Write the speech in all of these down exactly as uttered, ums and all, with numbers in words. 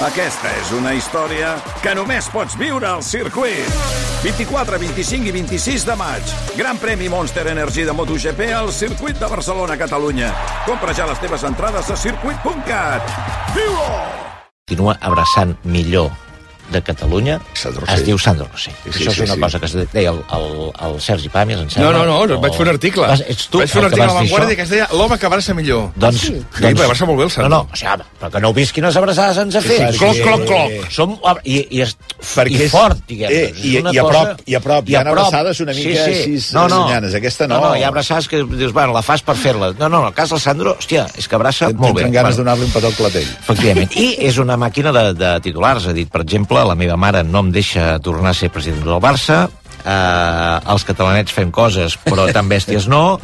Aquesta és una història que només pots viure al circuit. vint-i-quatre, vint-i-cinc i vint-i-sis de maig. Gran premi Monster Energy de MotoGP al circuit de Barcelona, Catalunya. Compra ja les teves entrades a circuit punt cat. Viu-ho! Continua abraçant millor de Catalunya, es diu Sandro Rosell. Sí, sí, Això és una sí, cosa sí. que es deia el, el, el Sergi Pàmies, em sembla. No, no, no, o... vaig fer un article. Vas, ets tu vaig fer un article a La Vanguardia que es deia l'home que abraça millor. Doncs, sí, doncs... sí abraça molt bé el Sandro. No, no, o sigui, però que no heu vist quines abraçades ens ha fet. Sí, cloc, cloc, cloc. Som, i, i, és, i és, fort, diguem. Eh, i, i, a prop, I a prop, hi ha abraçades una mica sí, sí. així no, no. Senyanes. Aquesta no. No, no, hi ha abraçades que dius, bueno, la fas per fer-la. No, no, en el cas del Sandro, hòstia, és que abraça molt bé. Tenen ganes bueno. de donar-li un petó al clatell. Efectivament. I és una màquina de, de titulars. Ha dit, per exemple, la meva mare no em deixa tornar a ser president del Barça, eh, els catalanets fem coses però tan bèsties no,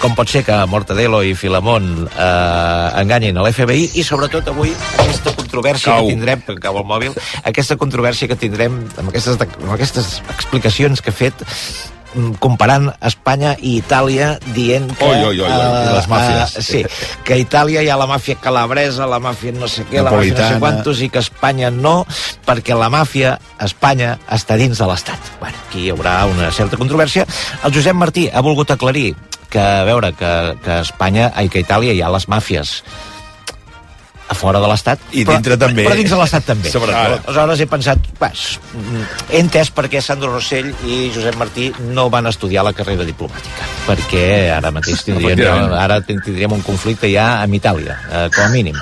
com pot ser que Mortadelo i Filamón eh, enganyin a l'F B I, i sobretot avui aquesta controvèrsia cau. que tindrem, que cau el mòbil, aquesta controvèrsia que tindrem amb aquestes, amb aquestes explicacions que ha fet comparant Espanya i Itàlia, dient que... Oi, oi, oi, oi. les màfies. Uh, sí, que a Itàlia hi ha la màfia calabresa, la màfia no sé què, la màfia no sé quantos, i que a Espanya no, perquè la màfia a Espanya està dins de l'Estat. Bueno, aquí hi haurà una certa controvèrsia. El Josep Martí ha volgut aclarir que, a veure, que, que a Espanya, ai, que a Itàlia hi ha les màfies a fora de l'Estat, i dintre però, també. Però dins de l'Estat també. Sobretot. Aleshores he pensat, pues, he entès per què Sandro Rosell i Josep Martí no van estudiar la carrera diplomàtica, perquè ara mateix tindríem, ara tindríem un conflicte ja amb Itàlia, eh, com a mínim.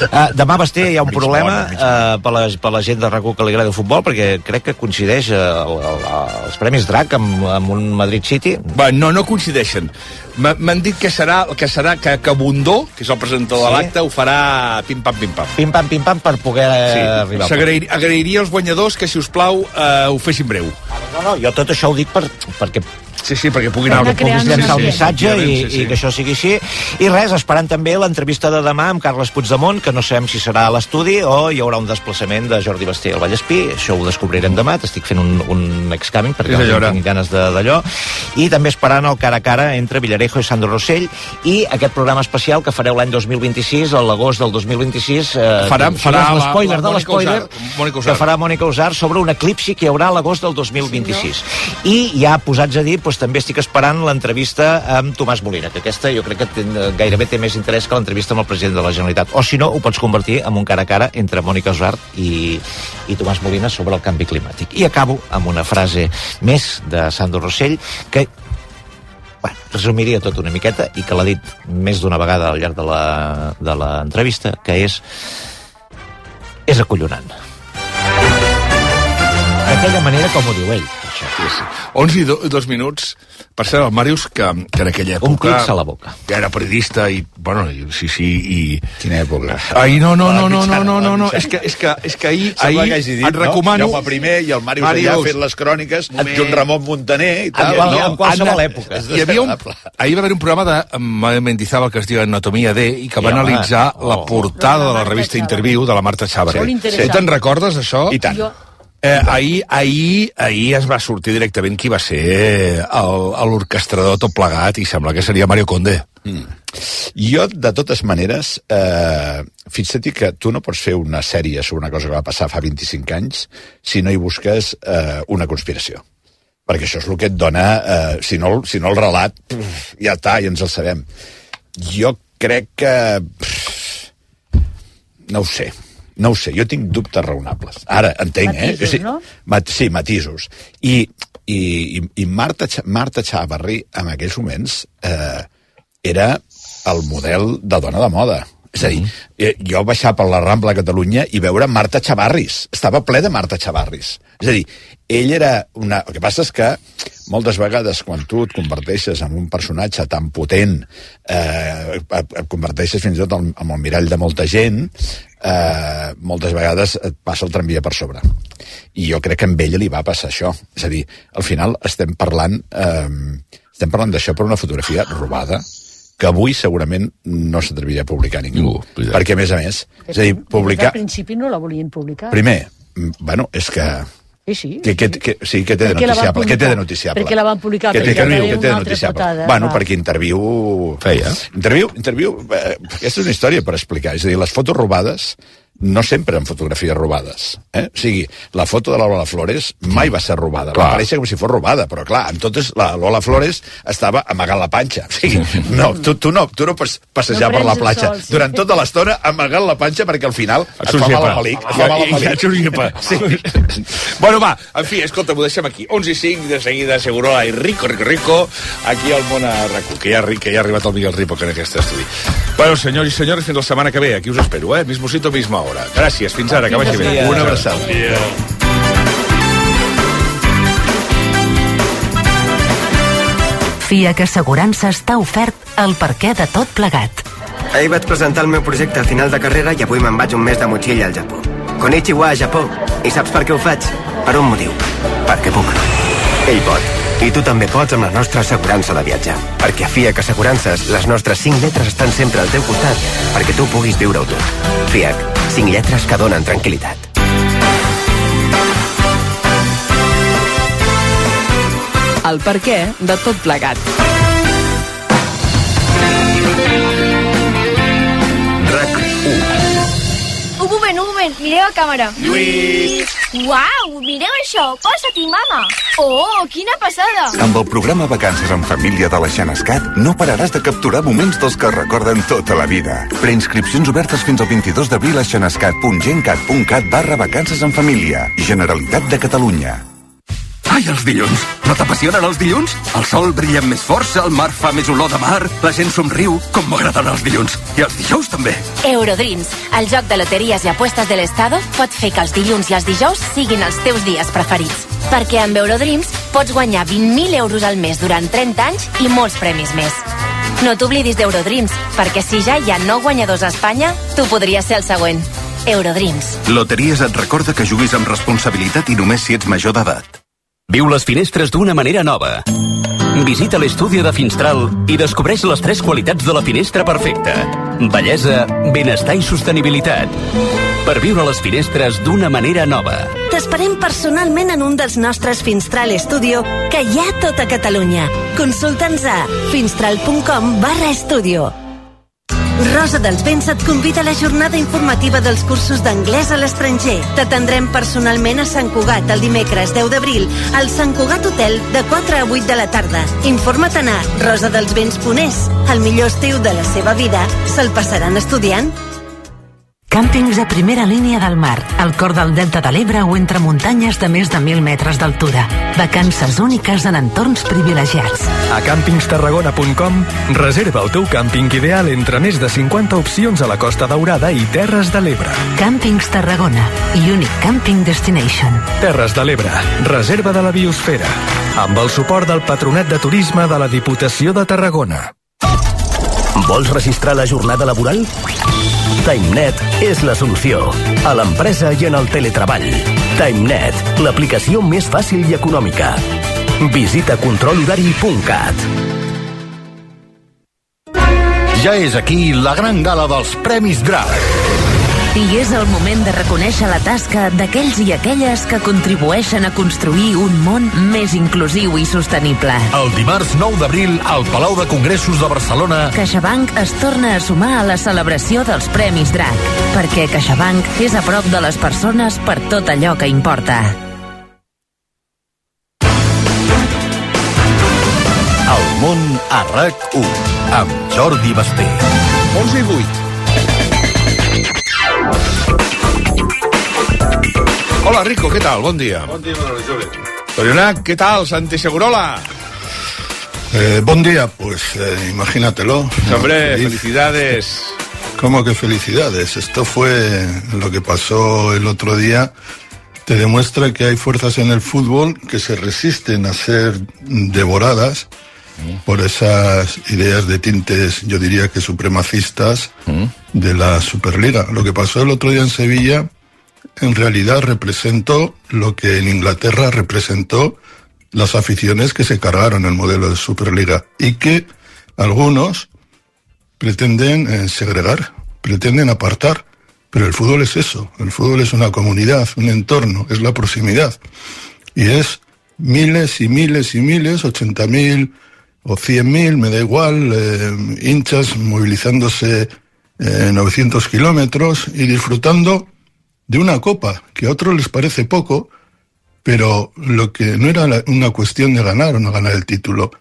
Uh, demà, Basté, hi ha un problema uh, per, la, per la gent de RAC u que li agrada el futbol, perquè crec que coincideix uh, el, el, els Premis Drac amb, amb un Madrid City. Va, no, no coincideixen. M'han dit que serà, que serà que, que Bundó, que és el presentador sí. de l'acte, ho farà pim-pam, pim-pam. Pim-pam, pim-pam, per poder sí. arribar. S'agrair, agrairia als guanyadors que, si us plau, eh, ho fessin breu. No, no, jo tot això ho dic per, perquè... Sí, sí, perquè puguin anar... Que puguis llançar el missatge i, sí, sí. i que això sigui així. I res, esperant també l'entrevista de demà amb Carles Puigdemont, que no sabem si serà a l'estudi o hi haurà un desplaçament de Jordi Basté al Vallespí. Això ho descobrirem demà. T'estic fent un, un excamen perquè no tinc ganes d'allò. I també esperant el cara a cara entre Villarejo i Sandro Rosell, i aquest programa especial que fareu l'any dos mil vint-i-sis, a l'agost del dos mil vint-i-sis, eh, farà, farà l'espoiler de l'espoiler que farà Mònica Usar sobre un eclipsi que hi haurà a l'agost del dos mil vint-i-sis. I ja posats a dir, doncs, també estic esperant l'entrevista amb Tomàs Molina, que aquesta jo crec que ten, gairebé té més interès que l'entrevista amb el president de la Generalitat. O si no, ho pots convertir en un cara a cara entre Mònica Usart i, i Tomàs Molina sobre el canvi climàtic. I acabo amb una frase més de Sandro Rosell, que bueno, resumiria tot una miqueta i que l'ha dit més d'una vegada al llarg de l'entrevista, que és és acollonant. D'aquella manera com ho diu ell. Sí, sí. onze i dos minuts. Per cert, el Màrius, que, que en aquella època... Un clips a la boca. Que era periodista i... Bueno, sí, sí, i... Quina època? Ai, no, no, no, no, no, no, no, no. És que, és que, és que ahir... ahir dit, et recomano... No? Jaume primer i el Màrius, Màrius allà ha fet les cròniques, Joan Ramon Muntaner i tal. En, no, en qualsevol època. Hi havia un, ahir va haver un programa de Mendizábal que es diu Anatomia D i que va sí, analitzar oh, la portada de la revista Interviu de la Marta Chávarri. Sí. Tu te'n recordes, això? I tant. Eh, ahir, ahir, ahir es va sortir directament qui va ser l'orquestrador tot plegat, i sembla que seria Mario Conde. Mm. Jo, de totes maneres, eh, fixa't que tu no pots fer una sèrie sobre una cosa que va passar fa vint-i-cinc anys si no hi busques eh, una conspiració. Perquè això és el que et dona... Eh, si, no, si no el relat, pff, ja està, ja ens el sabem. Jo crec que... Pff, no ho sé. No ho sé, jo tinc dubtes raonables. Ara, entenc, matisos, eh? Sí, no? mat, sí, matisos. I, i, i Marta, Marta Chávarri, en aquells moments, eh, era el model de dona de moda. És a dir, mm-hmm. jo baixar per la Rambla a Catalunya i veure Marta Chavarris. Estava ple de Marta Chavarris. És a dir, ell era una... El que passa és que moltes vegades quan tu et converteixes en un personatge tan potent, eh, et converteixes fins i tot en el mirall de molta gent, eh, moltes vegades et passa el tramvia per sobre. I jo crec que amb ella li va passar això. És a dir, al final estem parlant, eh, estem parlant d'això per una fotografia robada, que avui segurament no s'atreviria a publicar ningú. Uh, perquè, a més a més, és a dir, publicar... Al principi no la volien publicar. Primer, bueno, és que... Sí, sí. Que, que, que, sí, que té de noticiable. Què té de noticiable? Perquè la van publicar, que té, perquè que, hi que té una altra portada. Bueno, va. Perquè Interviu... Feia. Interviu, interviu eh, aquesta és una història per explicar. És a dir, les fotos robades no sempre en fotografies robades. Eh? O sigui, la foto de la Lola Flores mai va ser robada. Clar. Va aparèixer com si fos robada, però clar, en totes la Lola Flores estava amagant la panxa. O sigui, no, tu, tu no, tu no pots passejar No per la prens el platja sol, sí. durant tota l'estona amagant la panxa perquè al final et fa mal al malic. Et fa mal al I malic. et surt llepa. Sí. Bueno, va, en fi, escolta, ho deixem aquí. onze i cinc, de seguida, Segurola i Rico, Rico, Rico, aquí al món a RAC1, que ja, que ja ha arribat el Miguel Ripoll en aquest estudi. Bueno, senyors i senyores, fins la setmana que ve. Aquí us espero, eh? Mismo sitio, misma hora. Gràcies, fins ara, que vagi bé. Una abraçada. FIAC Assegurances t'ha ofert el perquè de tot plegat. Ahir vaig presentar el meu projecte a final de carrera i avui me'n vaig un mes de motxilla al Japó. Konnichiwa, Japó. I saps per què ho faig? Per un motiu. Perquè puc. Ell pot. I tu també pots amb la nostra assegurança de viatjar. Perquè a FIAC Assegurances les nostres cinc lletres estan sempre al teu costat perquè tu puguis viure-ho tot. FIAC. Cinc lletres que donen tranquil·litat. El perquè de tot plegat. RAC u. Un moment, un moment, mireu a càmera. Lluís! Uau, mireu això, posa-t'hi, mama. Oh, quina passada. Amb el programa Vacances en Família de la Xenescat no pararàs de capturar moments dels que recorden tota la vida. Preinscripcions obertes fins al vint-i-dos d'abril a xenescat punt gencat punt cat barra vacances en família. Generalitat de Catalunya. Ai, els dilluns! No t'apassionen els dilluns? El sol brilla amb més força, el mar fa més olor de mar, la gent somriu, com m'agraden els dilluns. I els dijous també. Eurodreams, el joc de loteries i apuestes de l'Estado, pot fer que els dilluns i els dijous siguin els teus dies preferits. Perquè amb Eurodreams pots guanyar vint mil euros al mes durant trenta anys i molts premis més. No t'oblidis d'Eurodreams, perquè si ja hi ha nou guanyadors a Espanya, tu podries ser el següent. Eurodreams. Loteries et recorda que juguis amb responsabilitat i només si ets major d'edat. Viu les finestres d'una manera nova. Visita l'estudi de Finstral i descobreix les tres qualitats de la finestra perfecta. Bellesa, benestar i sostenibilitat. Per viure les finestres d'una manera nova. T'esperem personalment en un dels nostres Finstral Studio que hi ha a tota Catalunya. Consulta'ns a finstral punt com barra estudio. Rosa dels Vents et convida a la jornada informativa dels cursos d'anglès a l'estranger. T'atendrem personalment a Sant Cugat el dimecres deu d'abril al Sant Cugat Hotel de quatre a vuit de la tarda. Informa't a rosa dels vents punt es. El millor estiu de la seva vida se'l passaran estudiant. Càmpings a primera línia del mar, al cor del Delta de l'Ebre o entre muntanyes de més de mil metres d'altura. Vacances úniques en entorns privilegiats. A càmpings tarragona punt com reserva el teu càmping ideal entre més de cinquanta opcions a la Costa Daurada i Terres de l'Ebre. Càmpings Tarragona, Unique Camping Destination. Terres de l'Ebre, reserva de la biosfera. Amb el suport del Patronat de Turisme de la Diputació de Tarragona. Vols registrar la jornada laboral? TimeNet és la solució. A l'empresa i en el teletreball. TimeNet, l'aplicació més fàcil i econòmica. Visita control horari punt cat. Ja és aquí la gran gala dels Premis Drac. I és el moment de reconèixer la tasca d'aquells i aquelles que contribueixen a construir un món més inclusiu i sostenible. El dimarts nou d'abril al Palau de Congressos de Barcelona, CaixaBank es torna a sumar a la celebració dels Premis Drac, perquè CaixaBank és a prop de les persones per tot allò que importa. El món a RAC u, amb Jordi Basté. onze i vuit. Hola, Rico, ¿qué tal? Buen día. Buen día, Manuel Jove. Torionac, ¿qué tal? Santi Segurola. Eh, buen día, pues eh, imagínatelo. Hombre, Feliz. felicidades. ¿Cómo que felicidades? Esto fue lo que pasó el otro día. Te demuestra que hay fuerzas en el fútbol que se resisten a ser devoradas mm. por esas ideas de tintes, yo diría que supremacistas, mm. de la Superliga. Lo que pasó el otro día en Sevilla en realidad representó lo que en Inglaterra representó las aficiones que se cargaron el modelo de Superliga y que algunos pretenden eh, segregar, pretenden apartar, pero el fútbol es eso, el fútbol es una comunidad, un entorno, es la proximidad y es miles y miles y miles, ochenta mil o cien mil, me da igual, eh, hinchas movilizándose eh, novecientos kilómetros y disfrutando de una copa, que a otros les parece poco, pero lo que no era una cuestión de ganar o no ganar el título,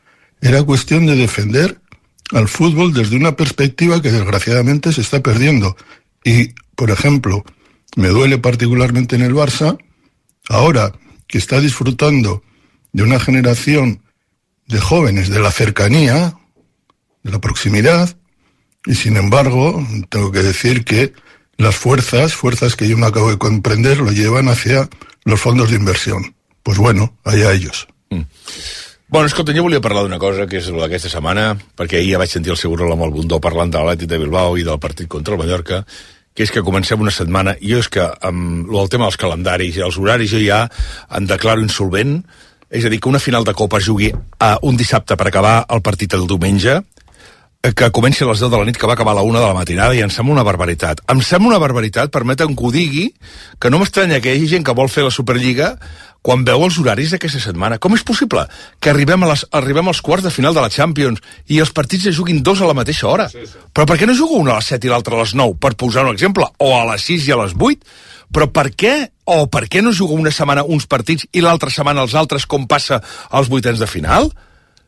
era cuestión de defender al fútbol desde una perspectiva que desgraciadamente se está perdiendo. Y, por ejemplo, me duele particularmente en el Barça, ahora que está disfrutando de una generación de jóvenes, de la cercanía, de la proximidad, y sin embargo, tengo que decir que las fuerzas, fuerzas que yo no acabo de comprender, lo llevan hacia los fondos d'inversió. Pues bueno, allà ellos. Mm. Bueno, escolta, jo volia parlar d'una cosa que és aquesta setmana, perquè ahir ja vaig sentir el Segurola amb el Bundó parlant de l'Atlètic de Bilbao i del partit contra el Mallorca, que és que comencem una setmana, i jo és que amb el tema dels calendaris i els horaris jo ja em declaro insolvent, és a dir, que una final de Copa es jugui a un dissabte per acabar el partit del diumenge, que comenci a les deu de la nit, que va acabar a la una de la matinada, i em sembla una barbaritat. Em sembla una barbaritat, permetem que ho digui, que no m'estranya que hi hagi gent que vol fer la Superliga quan veu els horaris d'aquesta setmana. Com és possible que arribem, a les, arribem als quarts de final de la Champions i els partits es juguin dos a la mateixa hora? Sí, sí. Però per què no juga un a les set i l'altre a les nou, per posar un exemple? O a les sis i a les vuit? Però per què? O per què no juga una setmana uns partits i l'altra setmana els altres, com passa als vuitens de final?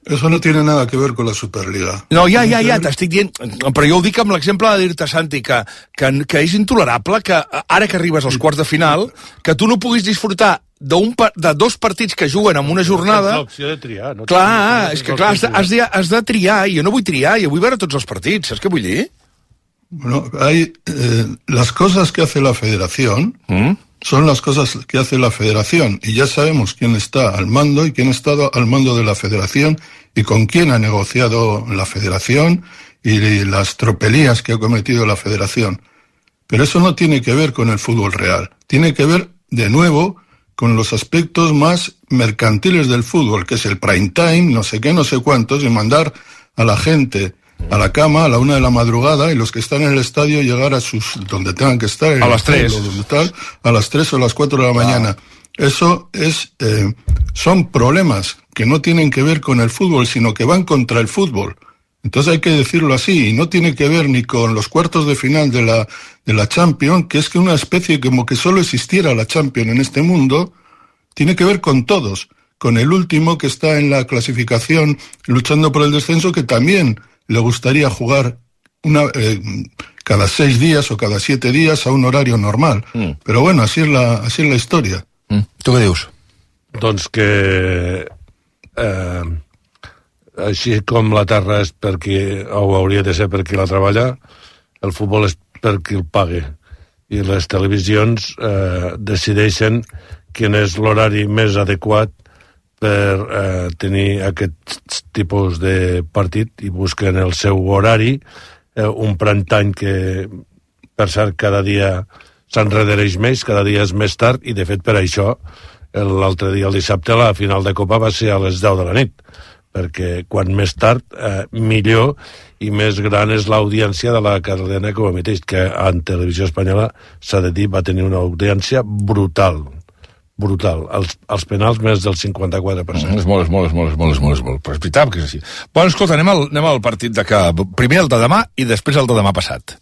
Eso no tiene nada que ver con la Superliga. No, ja, ja, ja, t'estic dient... Però jo ho dic amb l'exemple de dir-te, Santi, que, que, que és intolerable que ara que arribes als quarts de final, que tu no puguis disfrutar d'un de dos partits que juguen en una jornada... Tens l'opció de triar. No clar, és que clar, has de, has, de, has de triar, i jo no vull triar, jo vull veure tots els partits, saps què vull dir? Bueno, hay eh, las cosas que hace la Federación... ¿Mm? Son las cosas que hace la Federación, y ya sabemos quién está al mando y quién ha estado al mando de la Federación y con quién ha negociado la Federación y las tropelías que ha cometido la Federación. Pero eso no tiene que ver con el fútbol real, tiene que ver de nuevo con los aspectos más mercantiles del fútbol, que es el prime time, no sé qué, no sé cuántos, y mandar a la gente a la cama a la una de la madrugada y los que están en el estadio llegar a sus donde tengan que estar en a las tres donde tal, a las tres o a las cuatro de la mañana. Eso es eh, son problemas que no tienen que ver con el fútbol, sino que van contra el fútbol. Entonces hay que decirlo así, y no tiene que ver ni con los cuartos de final de la de la Champions, que es que una especie como que solo existiera la Champions en este mundo, tiene que ver con todos, con el último que está en la clasificación luchando por el descenso, que también le gustaría jugar una, eh, cada seis días o cada siete días a un horario normal. Mm. Però bueno, així és la, així és la història. Mm. Tu què dius? Doncs que eh, així com la terra és per qui, o hauria de ser per qui la treballa, el futbol és per qui el pague. I les televisions eh, decideixen quin és l'horari més adequat per eh, tenir aquest tipus de partit i busquen el seu horari, eh, un prime time que, per cert, cada dia s'enredereix més, cada dia és més tard, i de fet per això l'altre dia, el dissabte, la final de Copa va ser a les deu de la nit, perquè quan més tard, eh, millor, i més gran és l'audiència de la cadena que ho emeteix, que en televisió espanyola, s'ha de dir, va tenir una audiència brutal, brutal. Els, els penals més del cinquanta-quatre per cent. Mm, és molt, és molt, és molt, és molt, és molt, és molt. Però és veritat que és així. Bueno, escolta, anem al, anem al partit de que... Primer el de demà i després el de demà passat.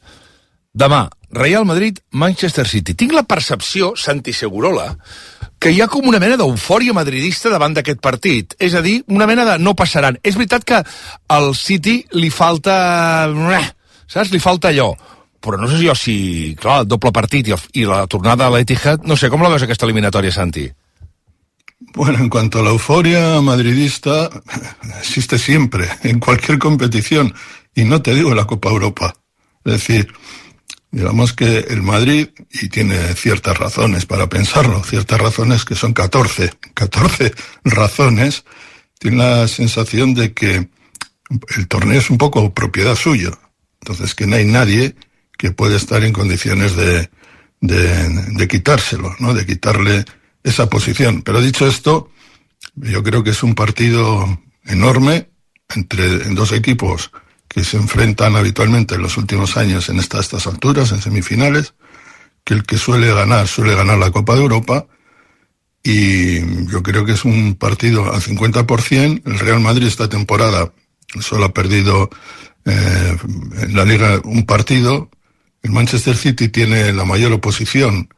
Demà, Real Madrid, Manchester City. Tinc la percepció, Santi Segurola, que hi ha com una mena d'eufòria madridista davant d'aquest partit. És a dir, una mena de no passaran. És veritat que al City li falta... Saps? Li falta allò. Però no sé jo si, clar, el doble partit i, el, i la tornada a l'Etihad, no sé, com la veus aquesta eliminatòria, Santi? Bueno, en cuanto a la euforia madridista, existe siempre, en cualquier competición, y no te digo en la Copa Europa. Es decir, digamos que el Madrid, y tiene ciertas razones para pensarlo, ciertas razones que son catorce, catorce razones, tiene la sensación de que el torneo es un poco propiedad suya, entonces que no hay nadie que puede estar en condiciones de, de, de quitárselo, ¿no? De quitarle esa posición. Pero dicho esto, yo creo que es un partido enorme entre dos equipos que se enfrentan habitualmente en los últimos años en esta, estas alturas, en semifinales, que el que suele ganar, suele ganar la Copa de Europa, y yo creo que es un partido al cincuenta por ciento. El Real Madrid esta temporada solo ha perdido eh, en la Liga un partido. El Manchester City tiene la mayor oposición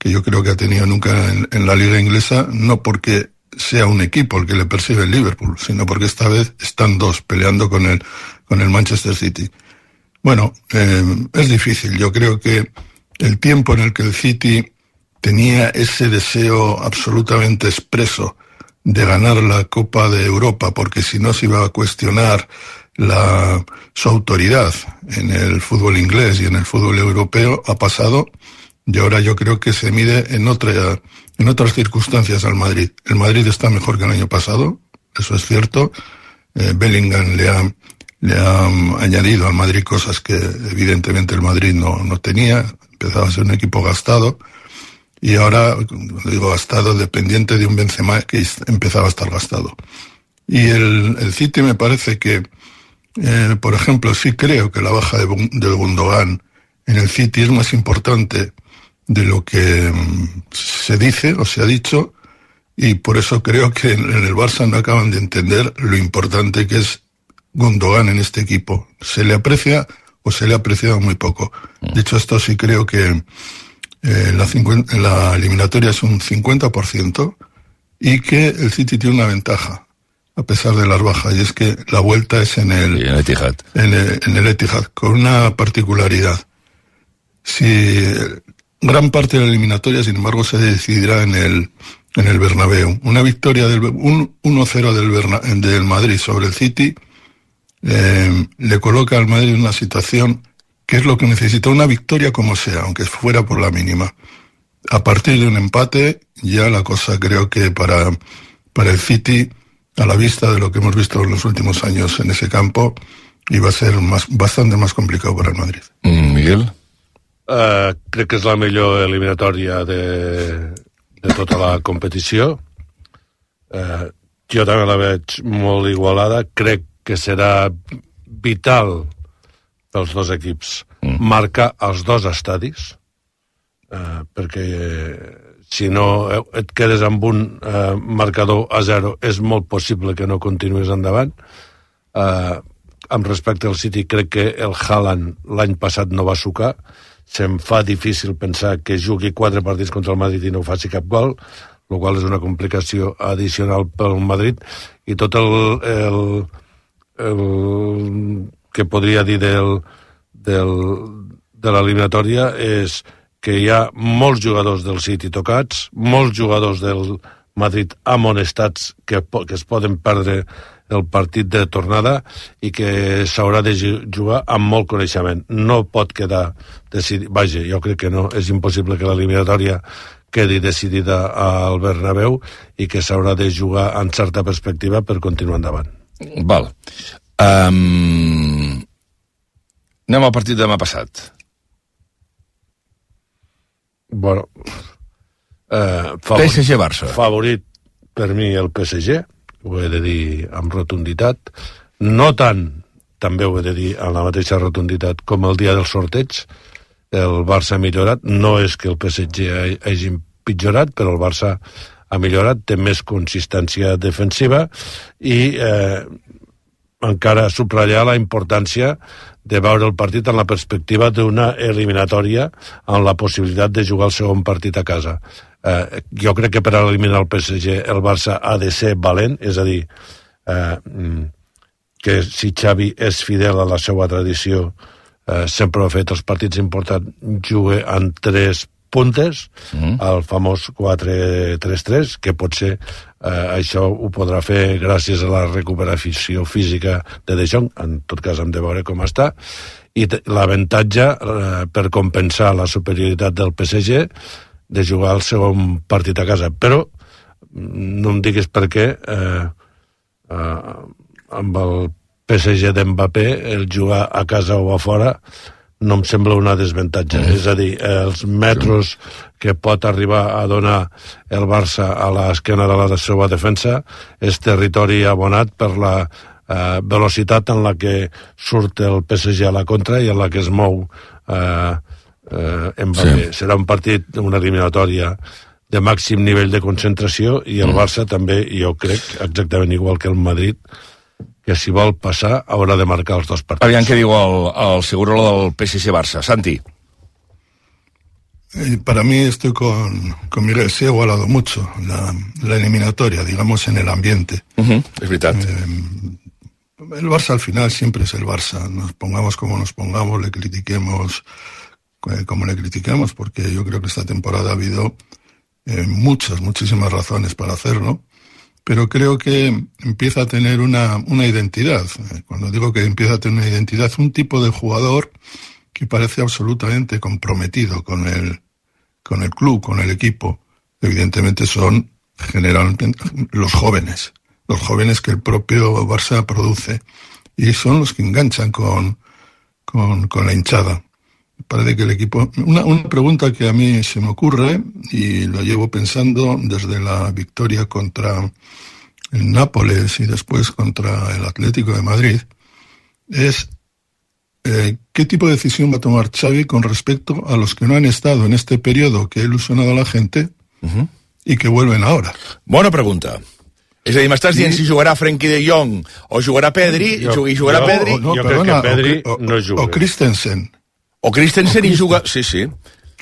que yo creo que ha tenido nunca en, en la liga inglesa, no porque sea un equipo el que le persigue el Liverpool, sino porque esta vez están dos peleando con el, con el Manchester City. Bueno, eh, es difícil. Yo creo que el tiempo en el que el City tenía ese deseo absolutamente expreso de ganar la Copa de Europa, porque si no se iba a cuestionar la, su autoridad en el fútbol inglés y en el fútbol europeo, ha pasado, y ahora yo creo que se mide en otra, en otras circunstancias al Madrid. El Madrid está mejor que el año pasado, eso es cierto. Eh, Bellingham le ha, le ha añadido al Madrid cosas que evidentemente el Madrid no, no tenía. Empezaba a ser un equipo gastado, y ahora, cuando digo gastado, dependiente de un Benzema que empezaba a estar gastado. Y el, el City me parece que, eh, por ejemplo, sí creo que la baja de, del Gundogan en el City es más importante de lo que um, se dice o se ha dicho, y por eso creo que en, en el Barça no acaban de entender lo importante que es Gundogan en este equipo. Se le aprecia o se le ha apreciado muy poco. Dicho esto, sí creo que eh, la, cincuenta, la eliminatoria es un cincuenta por ciento y que el City tiene una ventaja, a pesar de las bajas, y es que la vuelta es en el, en el Etihad. En el, en el Etihad, con una particularidad. Si gran parte de la eliminatoria, sin embargo, se decidirá en el, en el Bernabéu. Una victoria del un, uno cero del, Berna, del Madrid sobre el City eh, le coloca al Madrid en una situación que es lo que necesita, una victoria como sea, aunque fuera por la mínima. A partir de un empate, ya la cosa creo que para, para el City, a la vista de lo que hemos visto en los últimos años en ese campo, iba a ser más, bastante más complicado para el Madrid. Mm, Miguel? Uh, crec que és la millor eliminatòria de, de tota la competició. Uh, jo també la veig molt igualada. Crec que serà vital pels dos equips mm. marcar els dos estadis, uh, perquè si no et quedes amb un uh, marcador a zero, és molt possible que no continuïs endavant. Uh, amb respecte al City, crec que el Haaland l'any passat no va sucar. Se'm fa difícil pensar que jugui quatre partits contra el Madrid i no faci cap gol, el qual és una complicació addicional pel Madrid, i tot el, el, el que podria dir del, del, de l'eliminatòria és que hi ha molts jugadors del City tocats, molts jugadors del Madrid amonestats que, que es poden perdre el partit de tornada i que s'haurà de jugar amb molt coneixement. No pot quedar decidit. Vaja, jo crec que no, és impossible que l'eliminatòria quedi decidida al Bernabéu i que s'haurà de jugar en certa perspectiva per continuar endavant. Val. Um... Anem al partit de demà passat. Bueno, eh, favorit, P S G-Barça. Favorit per mi el P S G, ho he de dir amb rotunditat, no tant, també ho he de dir amb la mateixa rotunditat com el dia del sorteig. El Barça ha millorat, no és que el P S G hagi empitjorat, però el Barça ha millorat, té més consistència defensiva i eh, encara subratllar la importància de veure el partit en la perspectiva d'una eliminatòria amb la possibilitat de jugar el segon partit a casa. Eh, jo crec que per eliminar el P S G el Barça ha de ser valent, és a dir, eh, que si Xavi és fidel a la seva tradició, eh, sempre ho ha fet, els partits importants juga en tres puntes, mm. el famós quatre tres tres, que potser eh, això ho podrà fer gràcies a la recuperació física de De Jong, en tot cas hem de veure com està, i l'avantatge eh, per compensar la superioritat del P S G de jugar el segon partit a casa. Però no em diguis per què eh, eh, amb el P S G d'Mbappé el jugar a casa o a fora no em sembla una desavantatge. Mm. És a dir, els metros que pot arribar a donar el Barça a l'esquena de la seva defensa és territori abonat per la eh, velocitat en la que surt el P S G a la contra i en la que es mou eh, eh, Mbappé. Sí. Serà un partit, una eliminatòria de màxim nivell de concentració i el mm. Barça també, jo crec, exactament igual que el Madrid, que si vol passar haurà de marcar els dos partits. Aviam què diu el, el Segurola del P S G-Barça. Santi. Eh, para mí estoy con, con Miguel, se ha igualado mucho la, la eliminatoria, digamos, en el ambiente. Uh-huh, es veritat. Eh, el Barça al final siempre es el Barça, nos pongamos como nos pongamos, le critiquemos eh, como le critiquemos, porque yo creo que esta temporada ha habido eh, muchas, muchísimas razones para hacerlo, pero creo que empieza a tener una, una identidad. Cuando digo que empieza a tener una identidad, un tipo de jugador que parece absolutamente comprometido con el, con el club, con el equipo. Evidentemente son generalmente los jóvenes, los jóvenes que el propio Barça produce, y son los que enganchan con, con, con la hinchada. Parece que el equipo... Una, una pregunta que a mí se me ocurre, y lo llevo pensando desde la victoria contra el Nápoles y después contra el Atlético de Madrid, es eh, ¿qué tipo de decisión va a tomar Xavi con respecto a los que no han estado en este periodo que ha ilusionado a la gente uh-huh. y que vuelven ahora? Bona pregunta. És a dir, m'estàs dient si jugarà Frenkie de Jong o jugarà Pedri, jo, i jugarà jo, Pedri... No, jo perdona, crec que Pedri o, o, no juga. O Christensen. O Christensen y juga... Sí, sí.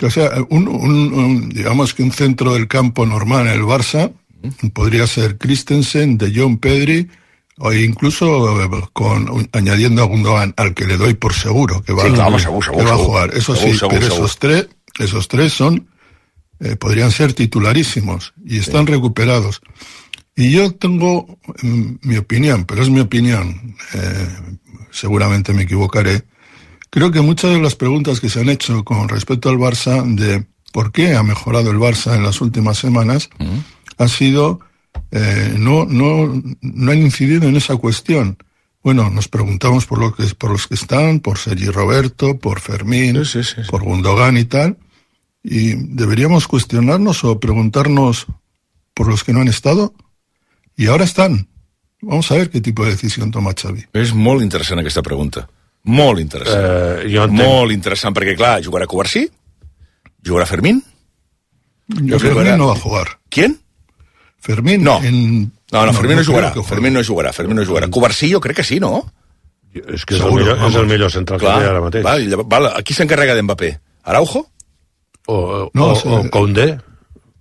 O sea, un, un, un, digamos que un centro del campo normal en el Barça podría ser Christensen, De Jong, Pedri, o incluso con, añadiendo a Gundogan, al que le doy por seguro que va, sí, claro, que, seguro, seguro, que va a seguro. jugar. Eso seguro, sí, seguro, pero seguro. esos tres, esos tres son, eh, podrían ser titularísimos y están sí. recuperados. Y yo tengo mm, mi opinión, pero es mi opinión, eh, seguramente me equivocaré. Creo que muchas de las preguntas que se han hecho con respecto al Barça, de por qué ha mejorado el Barça en las últimas semanas, uh-huh. ha sido, eh, no, no, no han incidido en esa cuestión. Bueno, nos preguntamos por, lo que, por los que están, por Sergi Roberto, por Fermín, sí, sí, sí, sí. por Gundogan y tal, y deberíamos cuestionarnos o preguntarnos por los que no han estado, y ahora están. Vamos a ver qué tipo de decisión toma Xavi. És molt interessant aquesta pregunta. Molt interessant. Uh, jo entenc... Molt interessant, perquè, clar, jugarà Covarsí? Jugarà Fermín? Jo Fermín jugarà... no va a jugar. ¿Quién? Fermín no. en... No, no, Fermín no, no jugarà. Fermín no jugarà. Fermín no jugarà. Covarsí jo crec que sí, no? És que és, Seguro, el, millor, és el millor central clar, que hi ha ara mateix. Val, val, qui s'encarrega d'Mbappé? Araujo? O, o, no, o, o Koundé?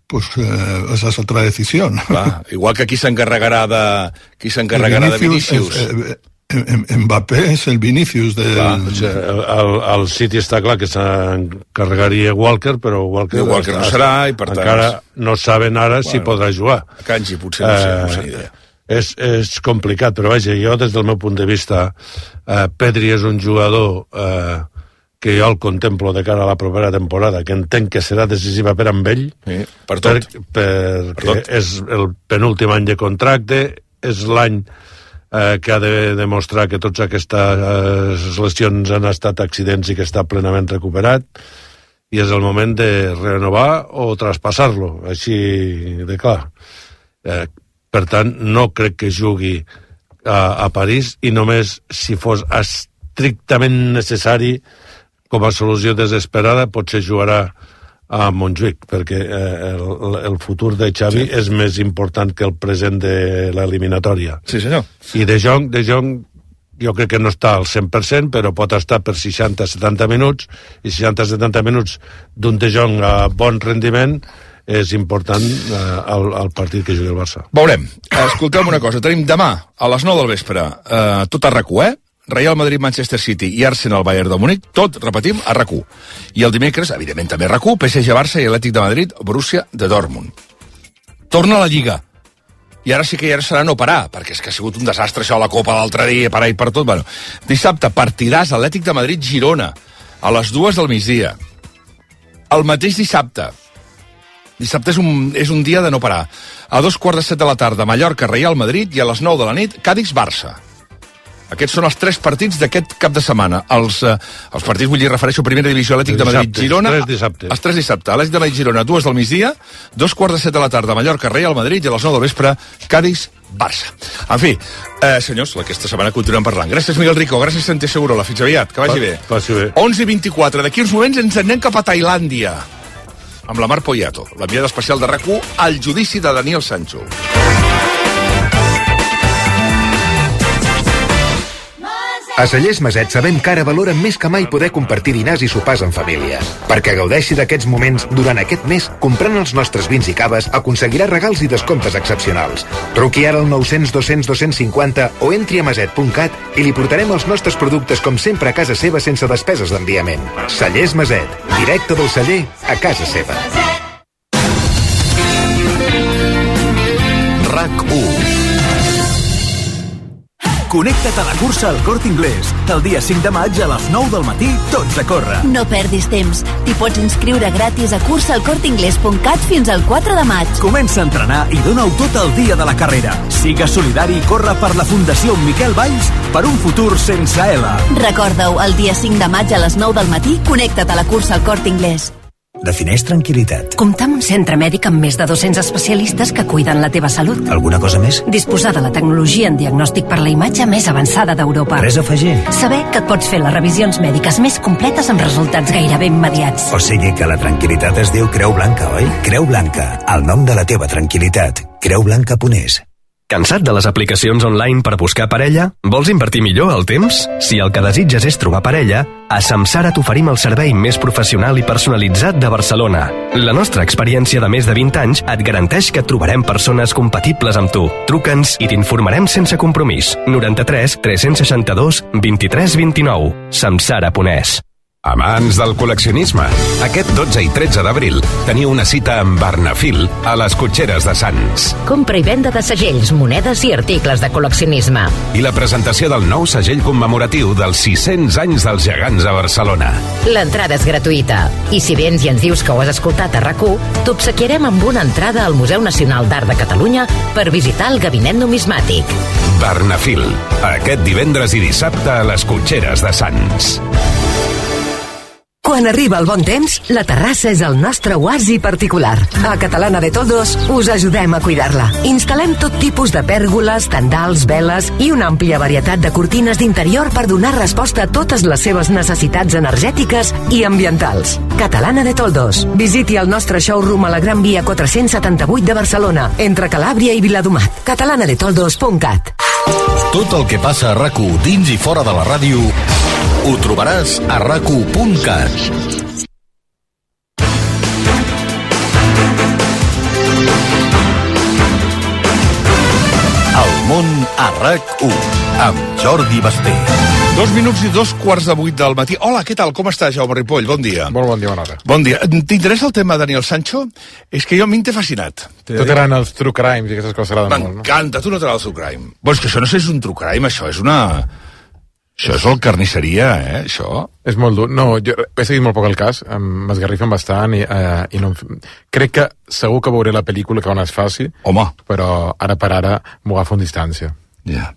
Pues eh, esa es otra decisión. Va, igual que aquí s'encarregarà de qui s'encarregarà de Vinícius. Eh, eh, Mbappé és el Vinícius de... Va, o sigui, el, el, el City està clar que s'encarregaria Walker, però Walker, Walker no serà i per tant... Encara no saben ara bueno, si podrà jugar. A Kanji potser no sé, eh, no sé ni idea. És, és complicat, però vaja, jo des del meu punt de vista eh, Pedri és un jugador eh, que jo el contemplo de cara a la propera temporada, que entenc que serà decisiva per amb ell, sí, per tot. Per, perquè per tot. És el penúltim any de contracte, és l'any eh, que ha de demostrar que totes aquestes eh, lesions han estat accidents i que està plenament recuperat, i és el moment de renovar o traspassar-lo, així de clar. Eh, per tant, no crec que jugui a, a París, i només si fos estrictament necessari com a solució desesperada, potser jugarà a Montjuïc, perquè eh, el, el futur de Xavi sí. és més important que el present de l'eliminatòria. Sí, senyor. I De Jong, De Jong jo crec que no està al cent per cent, però pot estar per seixanta a setanta minuts, i seixanta a setanta minuts d'un De Jong a bon rendiment és important eh, al, al partit que jugui el Barça. Veurem. Escolteu una cosa, tenim demà a les nou del vespre eh, tot a RAC u, eh? Real Madrid, Manchester City i Arsenal, Bayern de Múnich, tot, repetim, a RAC u. I el dimecres, evidentment també a RAC u, P S G Barça i Atlètic de Madrid, Borussia de Dortmund. Torna a la Lliga. I ara sí que ja serà no parar, perquè és que ha sigut un desastre això, la Copa l'altre dia, parar i per tot. Bueno, dissabte, partidàs Atlètic de Madrid-Girona, a les dues del migdia. El mateix dissabte. Dissabte és un, és un dia de no parar. A dos quarts de set de la tarda, Mallorca, Real Madrid, i a les nou de la nit, Cadix-Barça. Aquests són els tres partits d'aquest cap de setmana. Els, eh, els partits, vull dir, refereixo a Primera Divisió, Atlètic de Madrid-Girona. Els tres dissabtes. Els tres dissabtes. Atlètic de Madrid-Girona, dues del migdia, dos quarts de set de la tarda, Mallorca, Real Madrid, i a les nou del vespre, Cadix-Barça. En fi, eh, senyors, aquesta setmana continuem parlant. Gràcies, Miguel Rico, gràcies, Santi Segurola. Fins aviat, que vagi bé. Passi bé. onze i vint-i-quatre. D'aquí uns moments ens anem cap a Tailàndia, amb la Mar Poyato, l'enviada especial de RAC u al judici de Daniel Sancho. A Cellers Maset sabem que ara valoren més que mai poder compartir dinars i sopars en família. Perquè gaudeixi d'aquests moments durant aquest mes, comprant els nostres vins i caves aconseguirà regals i descomptes excepcionals. Truqui ara al nou cents dos cents dos cents cinquanta o entri a maset punt cat i li portarem els nostres productes com sempre a casa seva sense despeses d'enviament. Cellers Maset, directe del celler a casa seva. RAC u. Connecta't a la cursa al Corte Inglés. El dia cinc de maig a les nou del matí, tots a córrer. No perdis temps. T'hi pots inscriure gratis a cursa al corte inglés punt cat fins al quatre de maig. Comença a entrenar i dona-ho tot el dia de la carrera. Sigues solidari i corre per la Fundació Miquel Valls per un futur sense L. Recorda-ho, el dia cinc de maig a les nou del matí, connecta't a la cursa al Corte Inglés. Defineix tranquil·litat. Comptar amb un centre mèdic amb més de dos-cents especialistes que cuiden la teva salut. Alguna cosa més? Disposar de la tecnologia en diagnòstic per la imatge més avançada d'Europa. Res a afegir. Saber que et pots fer les revisions mèdiques més completes amb resultats gairebé immediats. O sigui que la tranquil·litat es diu Creu Blanca, oi? Creu Blanca, el nom de la teva tranquil·litat. creu blanca punt es. Cansat de les aplicacions online per buscar parella? Vols invertir millor el temps? Si el que desitges és trobar parella, a Samsara t'oferim el servei més professional i personalitzat de Barcelona. La nostra experiència de més de vint anys et garanteix que trobarem persones compatibles amb tu. Truca'ns i t'informarem sense compromís. noranta-tres tres seixanta-dos vint-i-tres vint-i-nou. samsara punt es. Amants del col·leccionisme, aquest dotze i tretze d'abril teniu una cita amb Barnafil a les Cotxeres de Sants. Compra i venda de segells, monedes i articles de col·leccionisme. I la presentació del nou segell commemoratiu dels sis-cents anys dels gegants a Barcelona. L'entrada és gratuïta. I si vens i ens dius que ho has escoltat a RAC u, t'obsequiarem amb una entrada al Museu Nacional d'Art de Catalunya per visitar el gabinet numismàtic. Barnafil, aquest divendres i dissabte a les Cotxeres de Sants. Quan arriba el bon temps, la terrassa és el nostre oasi particular. A Catalana de Toldos us ajudem a cuidar-la. Instal·lem tot tipus de pèrgoles, tendals, veles i una àmplia varietat de cortines d'interior per donar resposta a totes les seves necessitats energètiques i ambientals. Catalana de Toldos. Visiti el nostre showroom a la Gran Via quatre-cents setanta-vuit de Barcelona, entre Calàbria i Viladomat. catalana de toldos punt cat. Tot el que passa a RAC u dins i fora de la ràdio ho trobaràs a rac u punt cat. El món a RAC u amb Jordi Basté. Dos minuts i dos quarts de vuit del matí. Hola, què tal? Com està, Jaume Ripoll? Bon dia. Molt bon dia, bona hora. Bon dia. T'interessa el tema de Daniel Sancho? És que jo a mi m'he fascinat. Tu t'agraden els true crimes i aquestes coses t'agraden molt, no? M'encanta, tu no t'agrada el true crime. Bueno, és que això no sé si és un true crime, això és una... Això és el carnisseria, eh, això? És molt dur. No, jo he seguit molt poc el cas, m'esgarrifen bastant i, eh, i no... Crec que segur que veuré la pel·lícula que quan es faci. Home. Però ara per ara m'ho agafo amb distància. Ja. Yeah.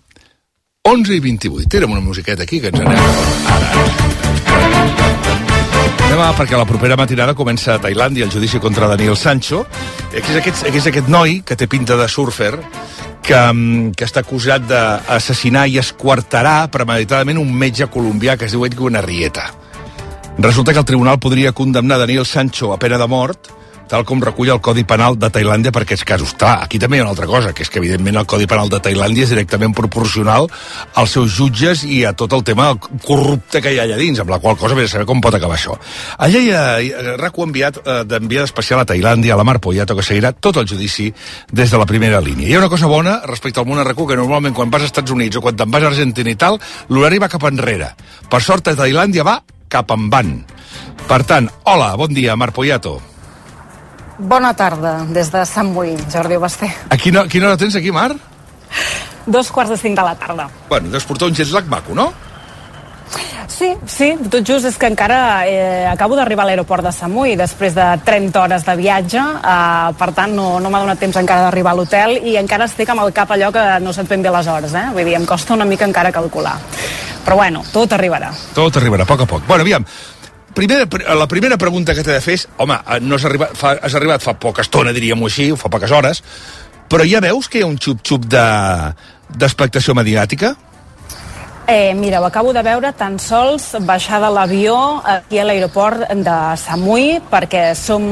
onze i vint-i-vuit. Érem una musiqueta aquí que ens anem. Ara. Anem a, perquè la propera matinada comença a Tailàndia el judici contra Daniel Sancho. Aquí és aquest, aquí és aquest noi que té pinta de surfer que, que està acusat d'assassinar i esquartarà premeditadament un metge colombià que es diu Edwin Arrieta. Resulta que el tribunal podria condemnar Daniel Sancho a pena de mort, tal com recull el Codi Penal de Tailàndia per aquests casos. Clar, aquí també hi ha una altra cosa, que és que evidentment el Codi Penal de Tailàndia és directament proporcional als seus jutges i a tot el tema corrupte que hi ha allà dins, amb la qual cosa vés a saber com pot acabar això. Allà hi ha RAC u enviat eh, d'enviada especial a Tailàndia, a la Mar Poyato, que seguirà tot el judici des de la primera línia. Hi ha una cosa bona respecte al món a RAC u, que normalment quan vas als Estats Units o quan te'n vas a Argentina i tal, l'horari va cap enrere. Per sort, a Tailàndia va cap endavant. Per tant, hola, bon dia, Mar Poyato. Bona tarda, des de Sant Boi, Jordi Basté. A quina, quina hora tens aquí, Mar? Dos quarts de cinc de la tarda. Bueno, deus portar un jet lag maco, no? Sí, sí, tot just és que encara eh, acabo d'arribar a l'aeroport de Samui després de trenta hores de viatge, eh, per tant no, no m'ha donat temps encara d'arribar a l'hotel i encara estic amb el cap allò que no sé ben bé les hores, eh? Vull dir, em costa una mica encara calcular. Però bueno, tot arribarà. Tot arribarà, a poc a poc. Bueno, aviam, Primera, la primera pregunta que t'he de fer és, home, no has arribat fa, has arribat fa poca estona, diríem-ho així, fa poques hores, però ja veus que hi ha un xup-xup de, d'expectació mediàtica? Eh, mira, ho acabo de veure tan sols baixar de l'avió aquí a l'aeroport de Samui, perquè som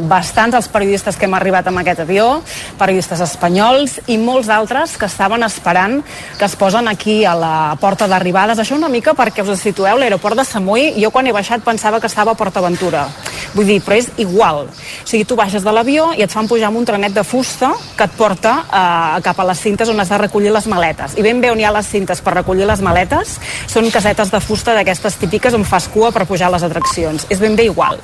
bastants els periodistes que hem arribat amb aquest avió, periodistes espanyols i molts altres que estaven esperant, que es posen aquí a la porta d'arribades. Això una mica perquè us situeu, l'aeroport de Samui, jo quan he baixat pensava que estava a Port Aventura. Vull dir, però és igual. O sigui, tu baixes de l'avió i et fan pujar amb un trenet de fusta que et porta eh, cap a les cintes on has de recollir les maletes. I ben bé on hi ha les cintes per recollir les maletes són casetes de fusta d'aquestes típiques on fas cua per pujar a les atraccions. És ben bé igual.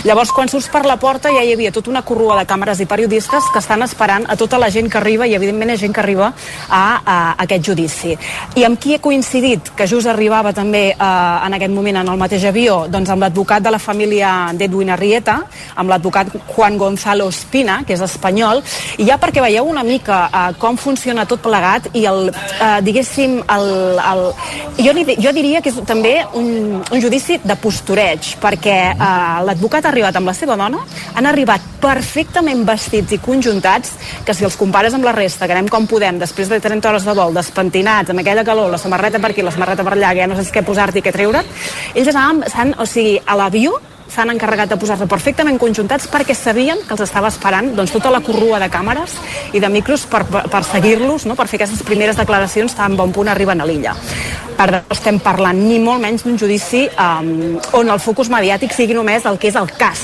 Llavors, quan surts per la porta ja hi havia tota una corrua de càmeres i periodistes que estan esperant a tota la gent que arriba, i evidentment hi ha gent que arriba a, a aquest judici. I amb qui he coincidit? Que just arribava també eh, en aquest moment en el mateix avió? Doncs amb l'advocat de la família d'Edwin Arrieta, amb l'advocat Juan Gonzalo Espina, que és espanyol, i ja perquè veieu una mica eh, com funciona tot plegat i el, eh, diguéssim, el, el, Jo, jo diria que és també un, un judici de postureig, perquè eh, l'advocat ha arribat amb la seva dona, han arribat perfectament vestits i conjuntats, que si els compares amb la resta, que anem com podem, després de trenta hores de vol, despentinats, amb aquella calor, la samarreta per aquí, la samarreta per allà, que ja no saps què posar-t'hi i què treure't, ells anaven, o sigui, a l'avió s'han encarregat de posar-se perfectament conjuntats perquè sabien que els estava esperant doncs, tota la corrua de càmeres i de micros per, per, per seguir-los, no? Per fer aquestes primeres declaracions tan bon punt arriben a l'illa. Per tant, estem parlant ni molt menys d'un judici um, on el focus mediàtic sigui només el que és el cas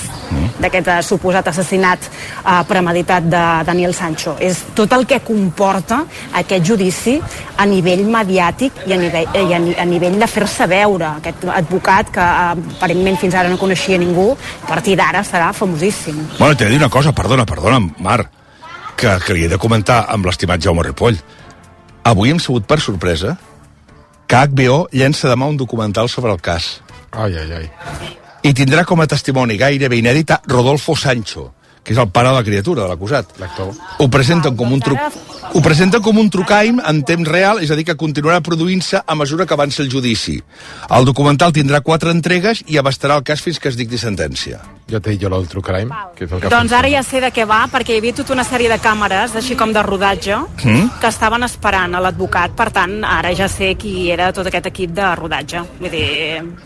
d'aquest uh, suposat assassinat uh, premeditat de Daniel Sancho. És tot el que comporta aquest judici a nivell mediàtic i a nivell, i a, a nivell de fer-se veure. Aquest advocat que uh, aparentment fins ara no coneixia ningú, a partir d'ara serà famosíssim. Bueno, t'he de dir una cosa, perdona, perdona, Mar, que, que li he de comentar amb l'estimat Jaume Ripoll. Avui hem sabut per sorpresa que H B O llença demà un documental sobre el cas. Ai, ai, ai. I tindrà com a testimoni gairebé inèdit a Rodolfo Sancho, que és el pare de la criatura, de l'acusat. L'actor. Ho presenten com un truc... Ho presenten com un trucaim en temps real, és a dir, que continuarà produint-se a mesura que avança el judici. El documental tindrà quatre entregues i abastarà el cas fins que es dicti sentència. Jo t'he dit jo el trucaim, que és el que... Doncs ara ja sé de què va, perquè hi havia tota una sèrie de càmeres, així com de rodatge, mm? que estaven esperant a l'advocat, per tant, ara ja sé qui era tot aquest equip de rodatge. Vull dir,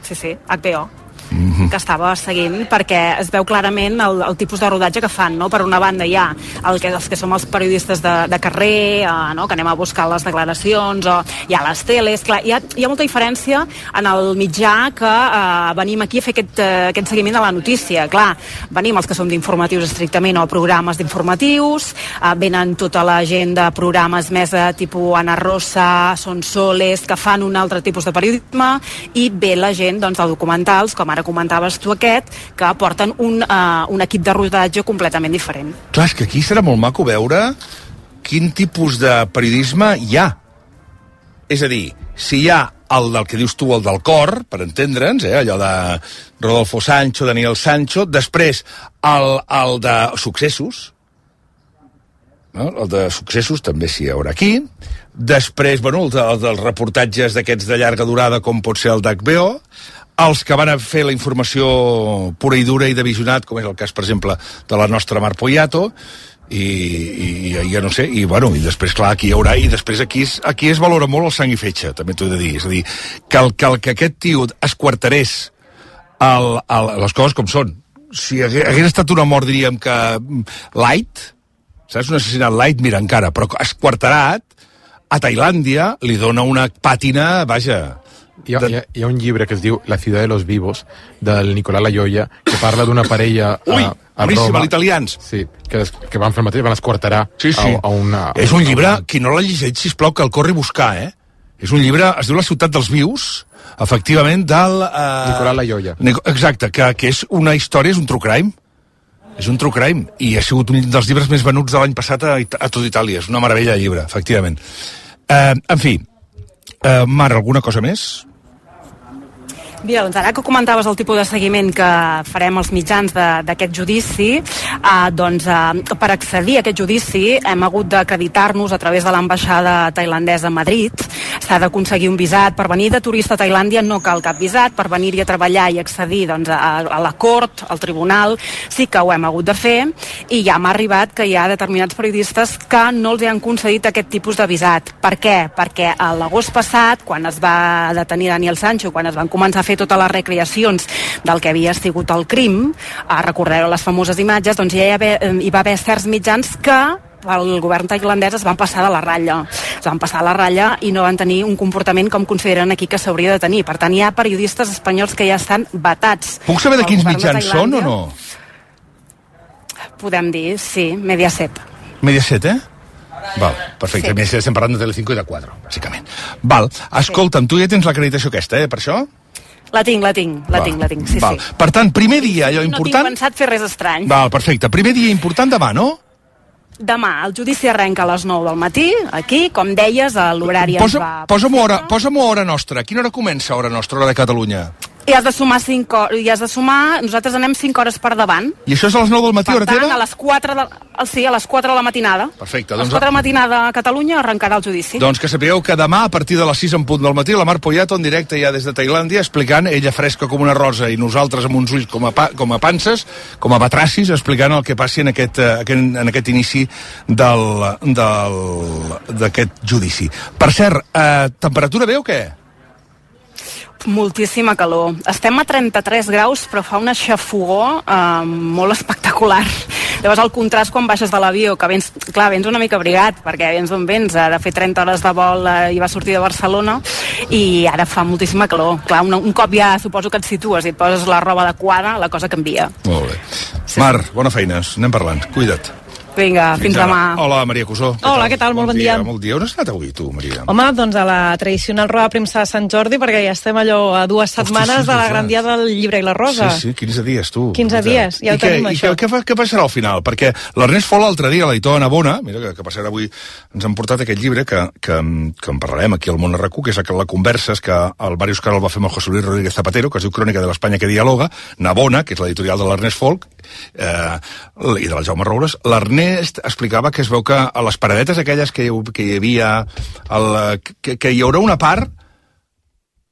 sí, sí, H B O. Mm-hmm. que estava seguint, perquè es veu clarament el, el tipus de rodatge que fan, no? Per una banda hi ha el que, els que som els periodistes de, de carrer, eh, no? Que anem a buscar les declaracions, o hi ha les teles, clar, hi ha, hi ha molta diferència en el mitjà que eh, venim aquí a fer aquest, eh, aquest seguiment de la notícia. Clar, venim els que som d'informatius estrictament o programes d'informatius, eh, venen tota la gent de programes més de tipus Ana Rosa, Son Soles, que fan un altre tipus de periodisme, i ve la gent doncs, de documentals, com ara comentaves tu aquest, que porten un, uh, un equip de rodatge completament diferent. Clar, és que aquí serà molt maco veure quin tipus de periodisme hi ha. És a dir, si hi ha el del que dius tu, el del cor, per entendre'ns, eh, allò de Rodolfo Sancho, Daniel Sancho, després el, el de successos, no? El de successos també s'hi haurà aquí, després, bueno, el, de, el dels reportatges d'aquests de llarga durada, com pot ser el d'H B O, els que van a fer la informació pura i dura i de visionat, com és el cas, per exemple, de la nostra Mar Poyato, i, i, i ja no sé, i bueno, i després, clar, aquí hi haurà, i després aquí es, aquí es valora molt el sang i fetge, també t'ho he de dir, és a dir, que el que, el, que aquest tio es quarterés el, el, les coses com són. Si hagués, hagués estat una mort, diríem que light, saps, un assassinat light, mira, encara, però esquarterat, a Tailàndia li dona una pàtina, vaja... Hi ha, hi, ha, hi ha un llibre que es diu La ciudad de los vivos, del Nicolás Layoia, que parla d'una parella a, Ui, a boníssim, Roma. italians. Sí, que, que van fer el mateix, van esquarterar sí, sí. A, a una... A és un una, llibre, una... qui no l'ha llegit, sisplau, que el corri a buscar, eh? És un llibre, es diu La ciutat dels vius, efectivament, del... Eh... Nicolás Layoia. Exacte, que, que és una història, és un true crime. És un true crime, i ha sigut un dels llibres més venuts de l'any passat a, a tot Itàlia. És una meravella de llibre, efectivament. Eh, en fi, eh, Mar, alguna cosa més? Mira, doncs ara que comentaves el tipus de seguiment que farem els mitjans d'aquest judici, eh, doncs eh, per accedir a aquest judici hem hagut d'acreditar-nos a través de l'ambaixada tailandesa a Madrid, s'ha d'aconseguir un visat. Per venir de turista a Tailàndia no cal cap visat, per venir-hi a treballar i accedir doncs, a, a la cort, al tribunal, sí que ho hem hagut de fer, i ja m'ha arribat que hi ha determinats periodistes que no els han concedit aquest tipus de visat. Per què? Perquè a l'agost passat, quan es va detenir Daniel Sancho, quan es van començar a fer totes les recreacions del que havia sigut el crim, eh, recordeu les famoses imatges, doncs ja hi, haver, hi va haver certs mitjans que el govern tailandès es van passar de la ratlla. Es van passar de la ratlla i no van tenir un comportament com consideren aquí que s'hauria de tenir. Per tant, hi ha periodistes espanyols que ja estan vetats. Puc saber de quins mitjans són o no? Podem dir, sí, Mediaset. Mediaset, eh? Val, perfecte. Sí. Mediaset, estem parlant de Telecinco i de Cuatro, bàsicament. Val, escolta'm, tu ja tens l'acreditació aquesta, eh, per això? La tinc, la tinc, la tinc, la tinc, sí, Val. sí. Per tant, primer dia, allò important... No tinc pensat fer res estrany. Val, perfecte. Primer dia important demà, no? Demà, el judici arrenca a les nou del matí, aquí, com deies, a l'horari ens Posa, va... Posa'm hora, posa'm hora nostra. A quina hora comença hora nostra, hora de Catalunya? I has de sumar cinc hores, i has de sumar, nosaltres anem cinc hores per davant. I això és a les nou del matí, hora Per tant, teva? a les quatre de, sí, a les quatre de la matinada. Perfecte. A les Doncs, quatre de la matinada a Catalunya arrencarà el judici. doncs que sapigueu que demà, a partir de les sis en punt del matí, la Mar Poyato en directe ja des de Tailàndia, explicant, ella fresca com una rosa i nosaltres amb uns ulls com a, pa, com a panses, com a batracis, explicant el que passi en aquest, eh, en aquest inici del del d'aquest judici. Per cert, eh, temperatura bé o què? Moltíssima calor. Estem a trenta-tres graus, però fa una xafogor eh, molt espectacular. Llavors el contrast quan baixes de l'avió, que vens, clar, vens una mica abrigat, perquè vens d'on vens, ha de fer trenta hores de vol eh, i va sortir de Barcelona, i ara fa moltíssima calor. Clar, un, un cop ja suposo que et situes i et poses la roba adequada, la cosa canvia. Molt bé. Sí. Mar, bona feina, anem parlant. Cuida't. Vinga, fins, fins demà. Hola, Maria Cusó. Hola, què tal? Molt bon dia. Molt dia. On has anat avui, tu, Maria? Home, doncs a la tradicional roda de premsa de Sant Jordi, perquè ja estem allò a dues setmanes sí, de la sí, gran dia del llibre i la rosa. Sí, sí, quinze dies, tu. quinze dies, ja ho tenim, I això. I què, què, què passarà al final? Perquè l'Ernest Fol l'altre dia, l'editor de Navona, mira que, que passarà avui, ens han portat aquest llibre que, que, que en parlarem aquí al Món R Q, que és la conversa és que el Màrius Oscar el va fer amb el José Luis Rodríguez Zapatero, que es diu Crònica de l'Espanya que dialoga. Navona, que és l'editorial de l'Ernest Fol, eh, i de la Jaume Roures. L'Ernest explicava que es veu que a les paradetes aquelles que hi, que hi havia el, que, que hi haurà una part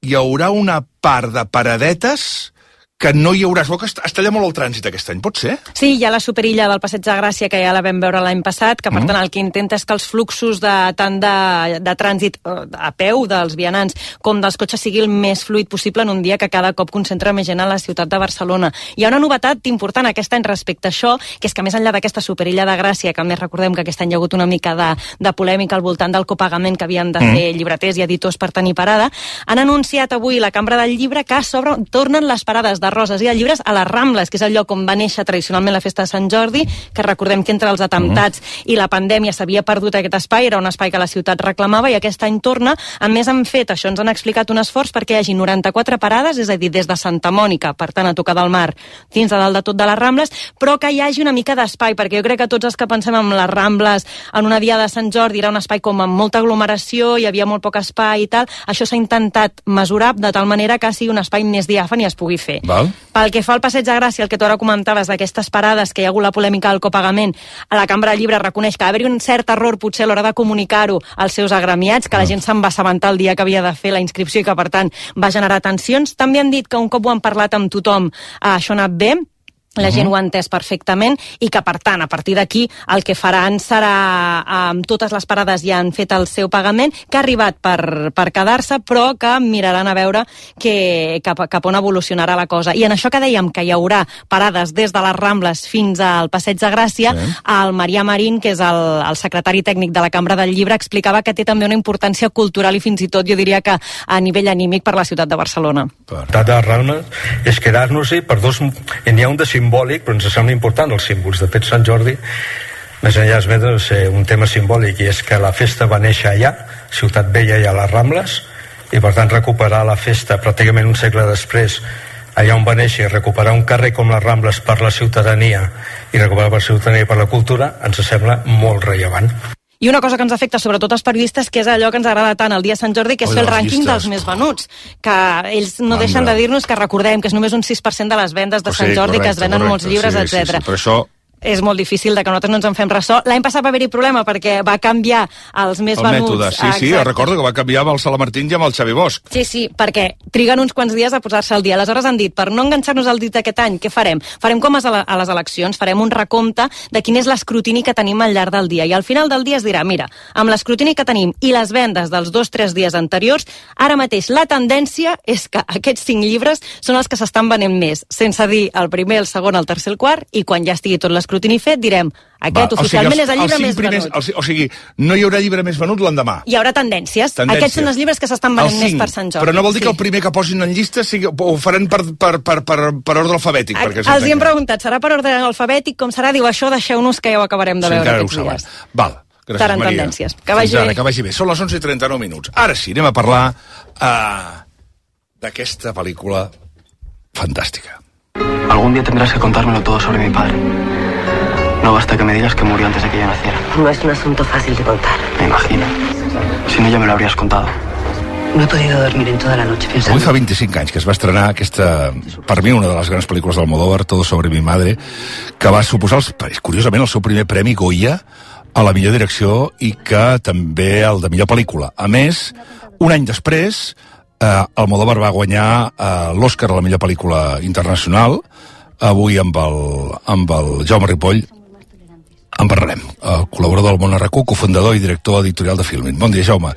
hi haurà una part de paradetes que no hi haurà. Es veu que es talla molt el trànsit aquest any, pot ser? Sí, hi ha la superilla del Passeig de Gràcia, que ja la vam veure l'any passat, que per mm. tant el que intenta és que els fluxos de, tant de, de trànsit a peu dels vianants com dels cotxes sigui el més fluid possible en un dia que cada cop concentra més gent a la ciutat de Barcelona. Hi ha una novetat important aquest any respecte a això, que és que més enllà d'aquesta superilla de Gràcia, que a més recordem que aquest any hi ha hagut una mica de, de polèmica al voltant del copagament que havien de mm. fer llibreters i editors per tenir parada, han anunciat avui la Cambra del Llibre que sobre, tornen les parades de roses i de llibres a les Rambles, que és el lloc on va néixer tradicionalment la festa de Sant Jordi, que recordem que entre els atemptats uh-huh. i la pandèmia s'havia perdut aquest espai, era un espai que la ciutat reclamava i aquest any torna. A més han fet, això ens han explicat, un esforç perquè hi hagi noranta-quatre parades, és a dir, des de Santa Mònica, per tant a tocar del mar, fins a dalt de tot de les Rambles, però que hi hagi una mica d'espai, perquè jo crec que tots els que pensem en les Rambles en una dia de Sant Jordi era un espai com amb molta aglomeració, hi havia molt poc espai i tal, això s'ha intentat mesurar de tal manera que sigui un espai més diàfan i es pugui fer. Val. Pel que fa al Passeig de Gràcia, el que tu ara comentaves d'aquestes parades, que hi ha hagut la polèmica del copagament, a la Cambra del Llibre reconeix que va haver-hi un cert error potser a l'hora de comunicar-ho als seus agremiats, que la gent se'n va assabentar el dia que havia de fer la inscripció i que per tant va generar tensions. També han dit que un cop ho han parlat amb tothom, això ha anat bé, la gent uh-huh. ho ha entès perfectament i que, per tant, a partir d'aquí el que faran serà, amb totes les parades ja han fet el seu pagament, que ha arribat per, per quedar-se, però que miraran a veure que, cap, cap on evolucionarà la cosa. I en això que dèiem que hi haurà parades des de les Rambles fins al Passeig de Gràcia, sí. el Marià Marín, que és el, el secretari tècnic de la Cambra del Llibre, explicava que té també una importància cultural i fins i tot jo diria que a nivell anímic per la ciutat de Barcelona. De Rambles és quedar-nos-hi per dos... N'hi ha un de simbòlic, però ens sembla important els símbols. De fet, Sant Jordi, més enllà és més un tema simbòlic, i és que la festa va néixer allà, Ciutat Vella i a les Rambles, i per tant recuperar la festa pràcticament un segle després allà on va néixer, i recuperar un carrer com les Rambles per la ciutadania i recuperar per la ciutadania i per la cultura ens sembla molt rellevant. I una cosa que ens afecta sobretot als periodistes, que és allò que ens agrada tant el dia de Sant Jordi, que és fer el rànquing dels més venuts, que ells no deixen de dir-nos que recordem que és només un sis per cent de les vendes de Sant Jordi, que es venen molts llibres, etcètera. Per això és molt difícil de que nosaltres no ens en fem ressò. L'any passat va haver-hi problema perquè va canviar els més el venuts. Mètode, sí, sí, exacte. recordo que va canviar amb el Salamartín i amb el Xavi Bosch. Sí, sí, perquè triguen uns quants dies a posar-se al dia. Aleshores han dit, per no enganxar-nos al dit d'aquest any, què farem? Farem com a les eleccions, farem un recompte de quin és l'escrutini que tenim al llarg del dia. I al final del dia es dirà, mira, amb l'escrutini que tenim i les vendes dels dos o tres dies anteriors, ara mateix la tendència és que aquests cinc llibres són els que s'estan venent més, sense dir el primer, el segon, el tercer, el quart, i quan ja estigui tot l'escrutini fet, direm, aquest Va, oficialment o sigui, els, és el llibre més primers, venut. Els, o sigui, no hi haurà llibre més venut l'endemà. Hi haurà tendències. tendències. Aquests són els llibres que s'estan venent més per Sant Jordi. Però no vol dir sí. que el primer que posin en llista sigui, ho faran per, per, per, per, per ordre alfabètic. A, els hi hem preguntat, serà per ordre alfabètic, com serà? Diu, això deixeu-nos que ja ho acabarem de sí, veure aquests dies. Val. Gràcies, Seran Maria. tendències. Que vagi ara, bé. que vagi bé. Són les onze i trenta-nou minuts. Ara sí, anem a parlar uh, d'aquesta pel·lícula fantàstica. Algún día tendrás que contármelo todo sobre mi padre. No basta que me digas que murió antes de que yo naciera. No es un asunto fácil de contar. Me imagino. Si no, ya me lo habrías contado. No he podido dormir en toda la noche pensando... Avui fa vint-i-cinc anys que es va estrenar aquesta, per mi, una de les grans pel·lícules d'Almodóvar, Todo sobre mi madre, que va suposar, els, curiosament, el seu primer premi Goya a la millor direcció i que també el de millor pel·lícula. A més, un any després, eh, Almodóvar va guanyar eh, l'Oscar a la millor pel·lícula internacional. Avui amb el, amb el Jaume Ripoll en parlarem. El col·laborador del Món R Q, cofundador i director editorial de Filmin. Bon dia, Jaume.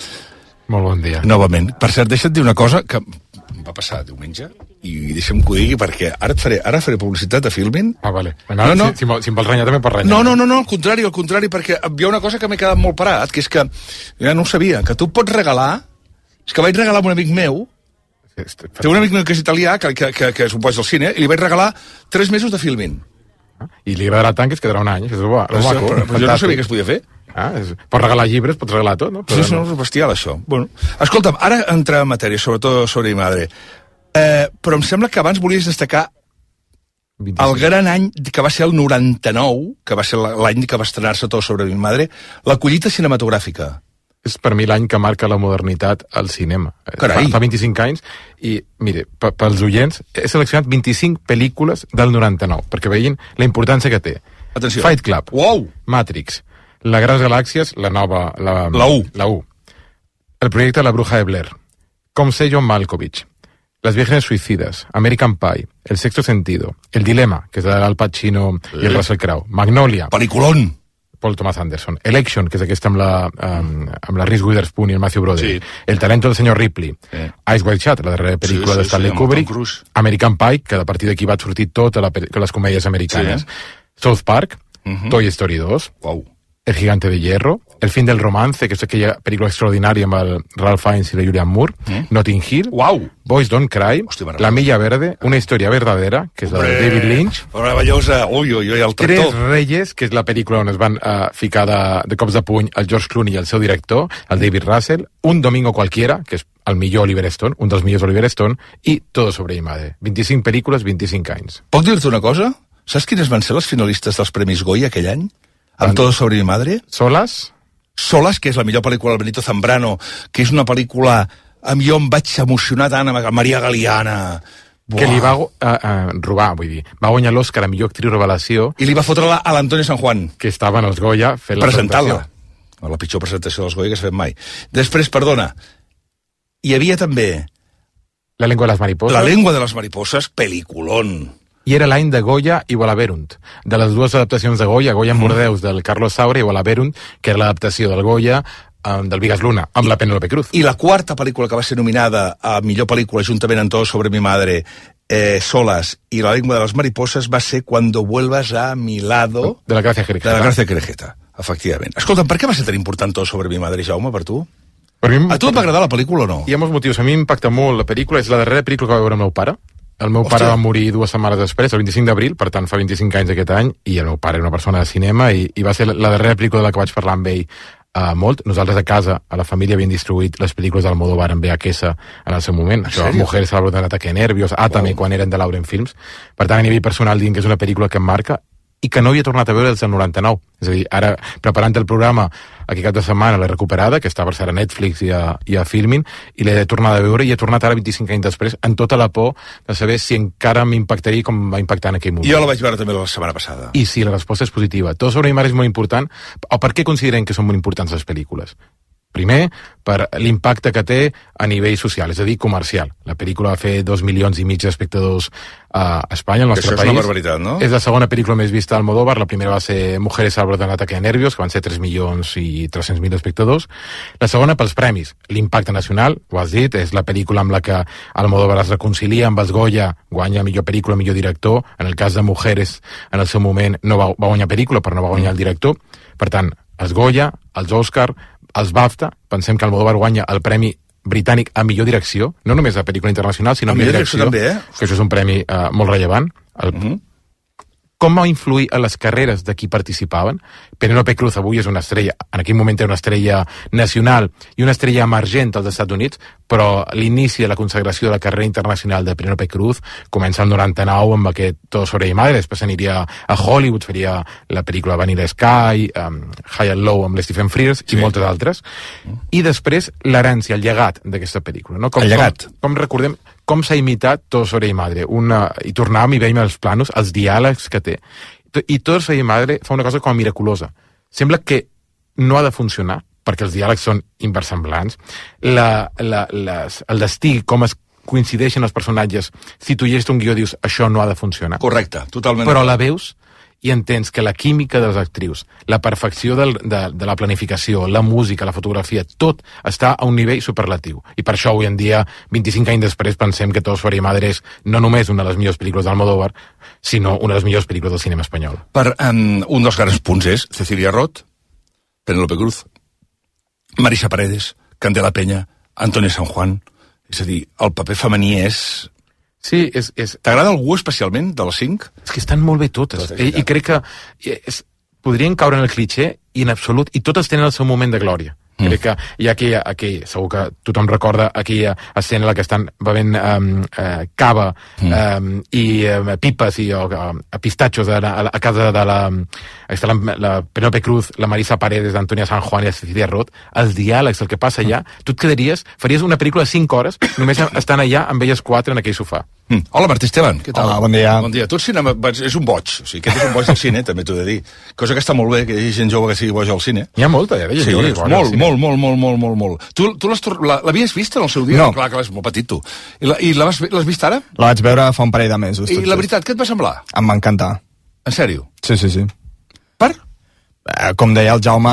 Molt bon dia. Novament. Per cert, deixa't dir una cosa que em va passar diumenge i deixa'm que ho digui perquè ara et faré, ara faré publicitat a Filmin. Ah, vale. No, no, si, si, si em vols renyar també pots renyar. No, no, no, no, al contrari, al contrari, perquè hi ha una cosa que m'he quedat molt parat, que és que ja no ho sabia, que tu pots regalar, és que vaig regalar a un amic meu, té un amic meu que és italià, que, que, que, que és un boig del cine, i li vaig regalar tres mesos de Filmin. I li agradarà tant que es quedarà un any. És bo, però, maco, però, però jo no sabia que es podia fer. Ah, és, pots regalar llibres, pots regalar tot, no? Però sí, no, és bestial, això. Bueno, escolta'm, ara entrem en matèria, sobretot sobre mi madre. Eh, però em sembla que abans volies destacar vint-i-cinc. El gran any que va ser el noranta-nou, que va ser l'any que va estrenar-se Tot sobre mi madre, la collita cinematogràfica. És per mi l'any que marca la modernitat al cinema. Carai. Fa, fa vint-i-cinc anys i, mire, pels oients, he seleccionat vint-i-cinc pel·lícules del noranta-nou, perquè veien la importància que té. Atenció. Fight Club. Wow. Matrix. La Guerra de les Galàxies, la nova... La, la U. La U. El projecte La Bruja de Blair. Com sé John Malkovich. Las Vírgenes Suicidas. American Pie. El Sexto Sentido. El Dilema, que és d'Al Pacino sí. i el Russell Crowe. Magnolia. Peliculón. Paul Thomas Anderson. Election, que és aquesta amb la, um, amb la Reese Witherspoon i el Matthew Broderick. Sí. El talento del senyor Ripley. Sí. Ice White Shot, la darrera pel·lícula sí, sí, de Stanley sí, Kubrick. American Pie, que a partir d'aquí va sortir tota la, les comèdies americanes. Sí. South Park. Uh-huh. Toy Story dos. Wow. El Gigante de Hierro. El fin del romance, que és aquella pel·lícula extraordinària amb el Ralph Fiennes i la Julianne Moore. Mm. Notting Hill. Wow. Boys Don't Cry. Hòstia, La Milla Verde. Una història verdadera, que és la de David Lynch. Meravellosa. Ui, ui, ui, el tractor. Tres Reyes, que és la pel·lícula on es van uh, ficar de, de cops de puny el George Clooney i el seu director, el David Russell. Un Domingo Cualquiera, que és el millor Oliver Stone, un dels millors Oliver Stone, i Todo sobre mi madre. vint-i-cinc pel·lícules, vint-i-cinc anys. Puc dir-te una cosa? Saps quines van ser les finalistes dels Premis Goya aquell any? Amb Todo sobre mi madre? Solas? Solas, que és la millor pel·lícula del Benito Zambrano, que és una pel·lícula... Amb jo em vaig emocionar tant amb Maria Galiana. Buah. Que li va uh, uh, robar, vull dir. Va guanyar l'Òscar a millor actriu revelació. I li va fotre-la a l'Antonio San Juan. Que estava en els Goya fent la presentació. La pitjor presentació dels Goya que s'ha fet mai. Després, perdona, hi havia també... La lengua de les mariposas. La lengua de les mariposas, peliculón. I era l'any de Goya i Walaverunt. De les dues adaptacions de Goya, Goya en Bordeus, del Carlos Saura, i Walaverunt, que era l'adaptació del Goya um, del Vigas Luna, amb I, la Penélope Cruz. I la quarta pel·lícula que va ser nominada a millor pel·lícula, juntament amb Todo sobre mi madre, eh, Solas i La lengua de les mariposas, va ser Cuando vuelvas a mi lado... De la Gracia Querejeta. De la Gracia Querejeta, efectivament. Escolta'm, per què va ser tan important Todo sobre mi madre, Jaume, per tu? Per mi, a tu et va agradar la pel·lícula o no? Hi ha molts motius. A mi m'impacta molt la pel·lícula. És la darrera pel·lícula que va veure el meu pare. El meu Hòstia. pare va morir dues setmanes després, el vint-i-cinc d'abril, per tant fa vint-i-cinc anys aquest any, i el meu pare era una persona de cinema, i, i va ser la darrera pel·lícula de la que vaig parlar amb ell uh, molt. Nosaltres a casa, a la família, havíem distribuït les pel·lícules d'Almodóvar en V H S en el seu moment. Això, Mujeres a la bruta de ataque nervios, Átame, quan eren de Lauren Films. Per tant, a nivell personal, dient que és una pel·lícula que em marca, i que no havia tornat a veure des del noranta-nou. És a dir, ara, preparant el programa, aquí cap de setmana l'he recuperada, que està per ser a Netflix i a, i a Filmin, i l'he tornat a veure i he tornat ara vint-i-cinc anys després amb tota la por de saber si encara m'impactaria com va impactar en aquell moment. Jo la vaig veure també la setmana passada. I sí, la resposta és positiva. Todo sobre mi madre és molt important. O per què considerem que són molt importants les pel·lícules? Primer, per l'impacte que té a nivell social, és a dir, comercial. La pel·lícula va fer dos milions i mig d'espectadors a Espanya, al nostre Això país. és una barbaritat, no? És la segona pel·lícula més vista d'Almodóvar. La primera va ser Mujeres al borde d'un ataque de nervios, que van ser tres milions i tres-cents mil espectadors. La segona, pels premis. L'impacte nacional, ho has dit, és la pel·lícula amb la que Almodóvar es reconcilia amb els Goya, guanya millor pel·lícula, millor director. En el cas de Mujeres, en el seu moment, no va, va guanyar pel·lícula, però no va guanyar el director. Per tant, els Goya, els Òscar, els BAFTA, pensem que Almodóvar guanya el premi britànic a millor direcció, no només a pel·lícula internacional, sinó a millor direcció, també, eh? que això és un premi uh, molt rellevant. El... Uh -huh. Com va influir en les carreres de qui participaven? Penélope Cruz avui és una estrella, en aquell moment era una estrella nacional i una estrella emergent als Estats Units, però l'inici de la consagració de la carrera internacional de Penélope Cruz comença el noranta-nou amb aquest Todo sobre mi madre, després aniria a Hollywood, faria la pel·lícula Vanilla Sky, um, High and Low amb Stephen Frears sí. i moltes altres. I després l'herència, el llegat d'aquesta pel·lícula. No? Com, el llegat. Com, com recordem, com s'ha imitat Todo sobre mi madre. Una, I tornàvem i veiem els planos, els diàlegs que té. I Todo sobre mi madre fa una cosa com miraculosa. Sembla que no ha de funcionar, perquè els diàlegs són inversemblants. La, la, les, el destí, com es coincideixen els personatges, si tu llegis un guió dius això no ha de funcionar. Correcte, totalment. Però la veus i entens que la química de les actrius, la perfecció del, de, de la planificació, la música, la fotografia, tot està a un nivell superlatiu. I per això avui en dia, vint-i-cinc anys després, pensem que Todo sobre mi madre és no només una de les millors pel·lícules d'Almodóvar, sinó una de les millors pel·lícules del cinema espanyol. Per um, un dels grans punts és Cecilia Roth, Penélope Cruz, Marisa Paredes, Candela Peña, Antonio San Juan. És a dir, el paper femení és... Sí, és... és... T'agrada algú especialment, de les cinc? És que estan molt bé totes. I, i crec que és, podrien caure en el cliché i en absolut, i totes tenen el seu moment de glòria. Mm. Crec que hi ha aquella, aquell, segur que tothom recorda aquella escena en la que estan bevent um, uh, cava mm. um, i um, pipes i uh, pistatxos a, a, a casa de la, està la, la Penélope Cruz, la Marisa Paredes, d'Antonia San Juan i la Cecilia Roth, els diàlegs, el que passa allà, tu et quedaries, faries una pel·lícula de cinc hores només estan allà amb elles quatre en aquell sofà. Mm. Hola, Martí Esteban, què tal? Hola, bon dia. Bon dia. Tu el cinema és un boig, o sigui, aquest és un boig del cine, també t'ho he de dir. Cosa que està molt bé, que hi hagi gent jove que sigui boig al cine. Hi ha molta, ja, sí, jove, molt, molt, molt, molt, molt, molt, molt. Tu, tu l'havies vist en el seu dia? No. Clar que l'has molt petit, tu. I, la, i l'has vist ara? La vaig veure fa un parell de mesos. I la veritat, què et va semblar? Em va encantar. En sèrio? Sí, sí, sí. Per? Com deia el Jaume,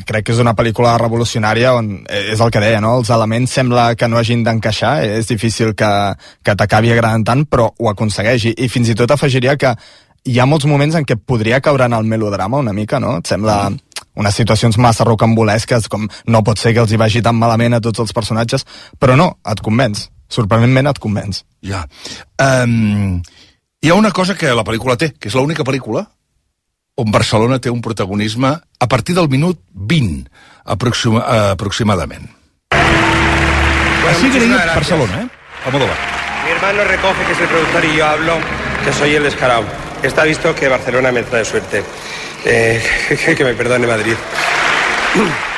crec que és una pel·lícula revolucionària on és el que deia, no? Els elements sembla que no hagin d'encaixar, és difícil que, que t'acabi agradant tant, però ho aconsegueix. I, i fins i tot afegiria que hi ha molts moments en què podria caure en el melodrama una mica, no? Et sembla unes situacions massa rocambolesques, com no pot ser que els hi vagi tan malament a tots els personatges, però no, et convenç. Sorprenentment et convenç. Ja. Um, hi ha una cosa que la pel·lícula té, que és l'única pel·lícula on Barcelona té un protagonisme a partir del minut vint, aproxima, aproximadament. Así quería Barcelona, ¿eh? Almodóvar. Mi hermano recoge que es el productor y yo hablo que soy el descarado. Está visto que Barcelona me trae suerte. Eh, que me perdone Madrid.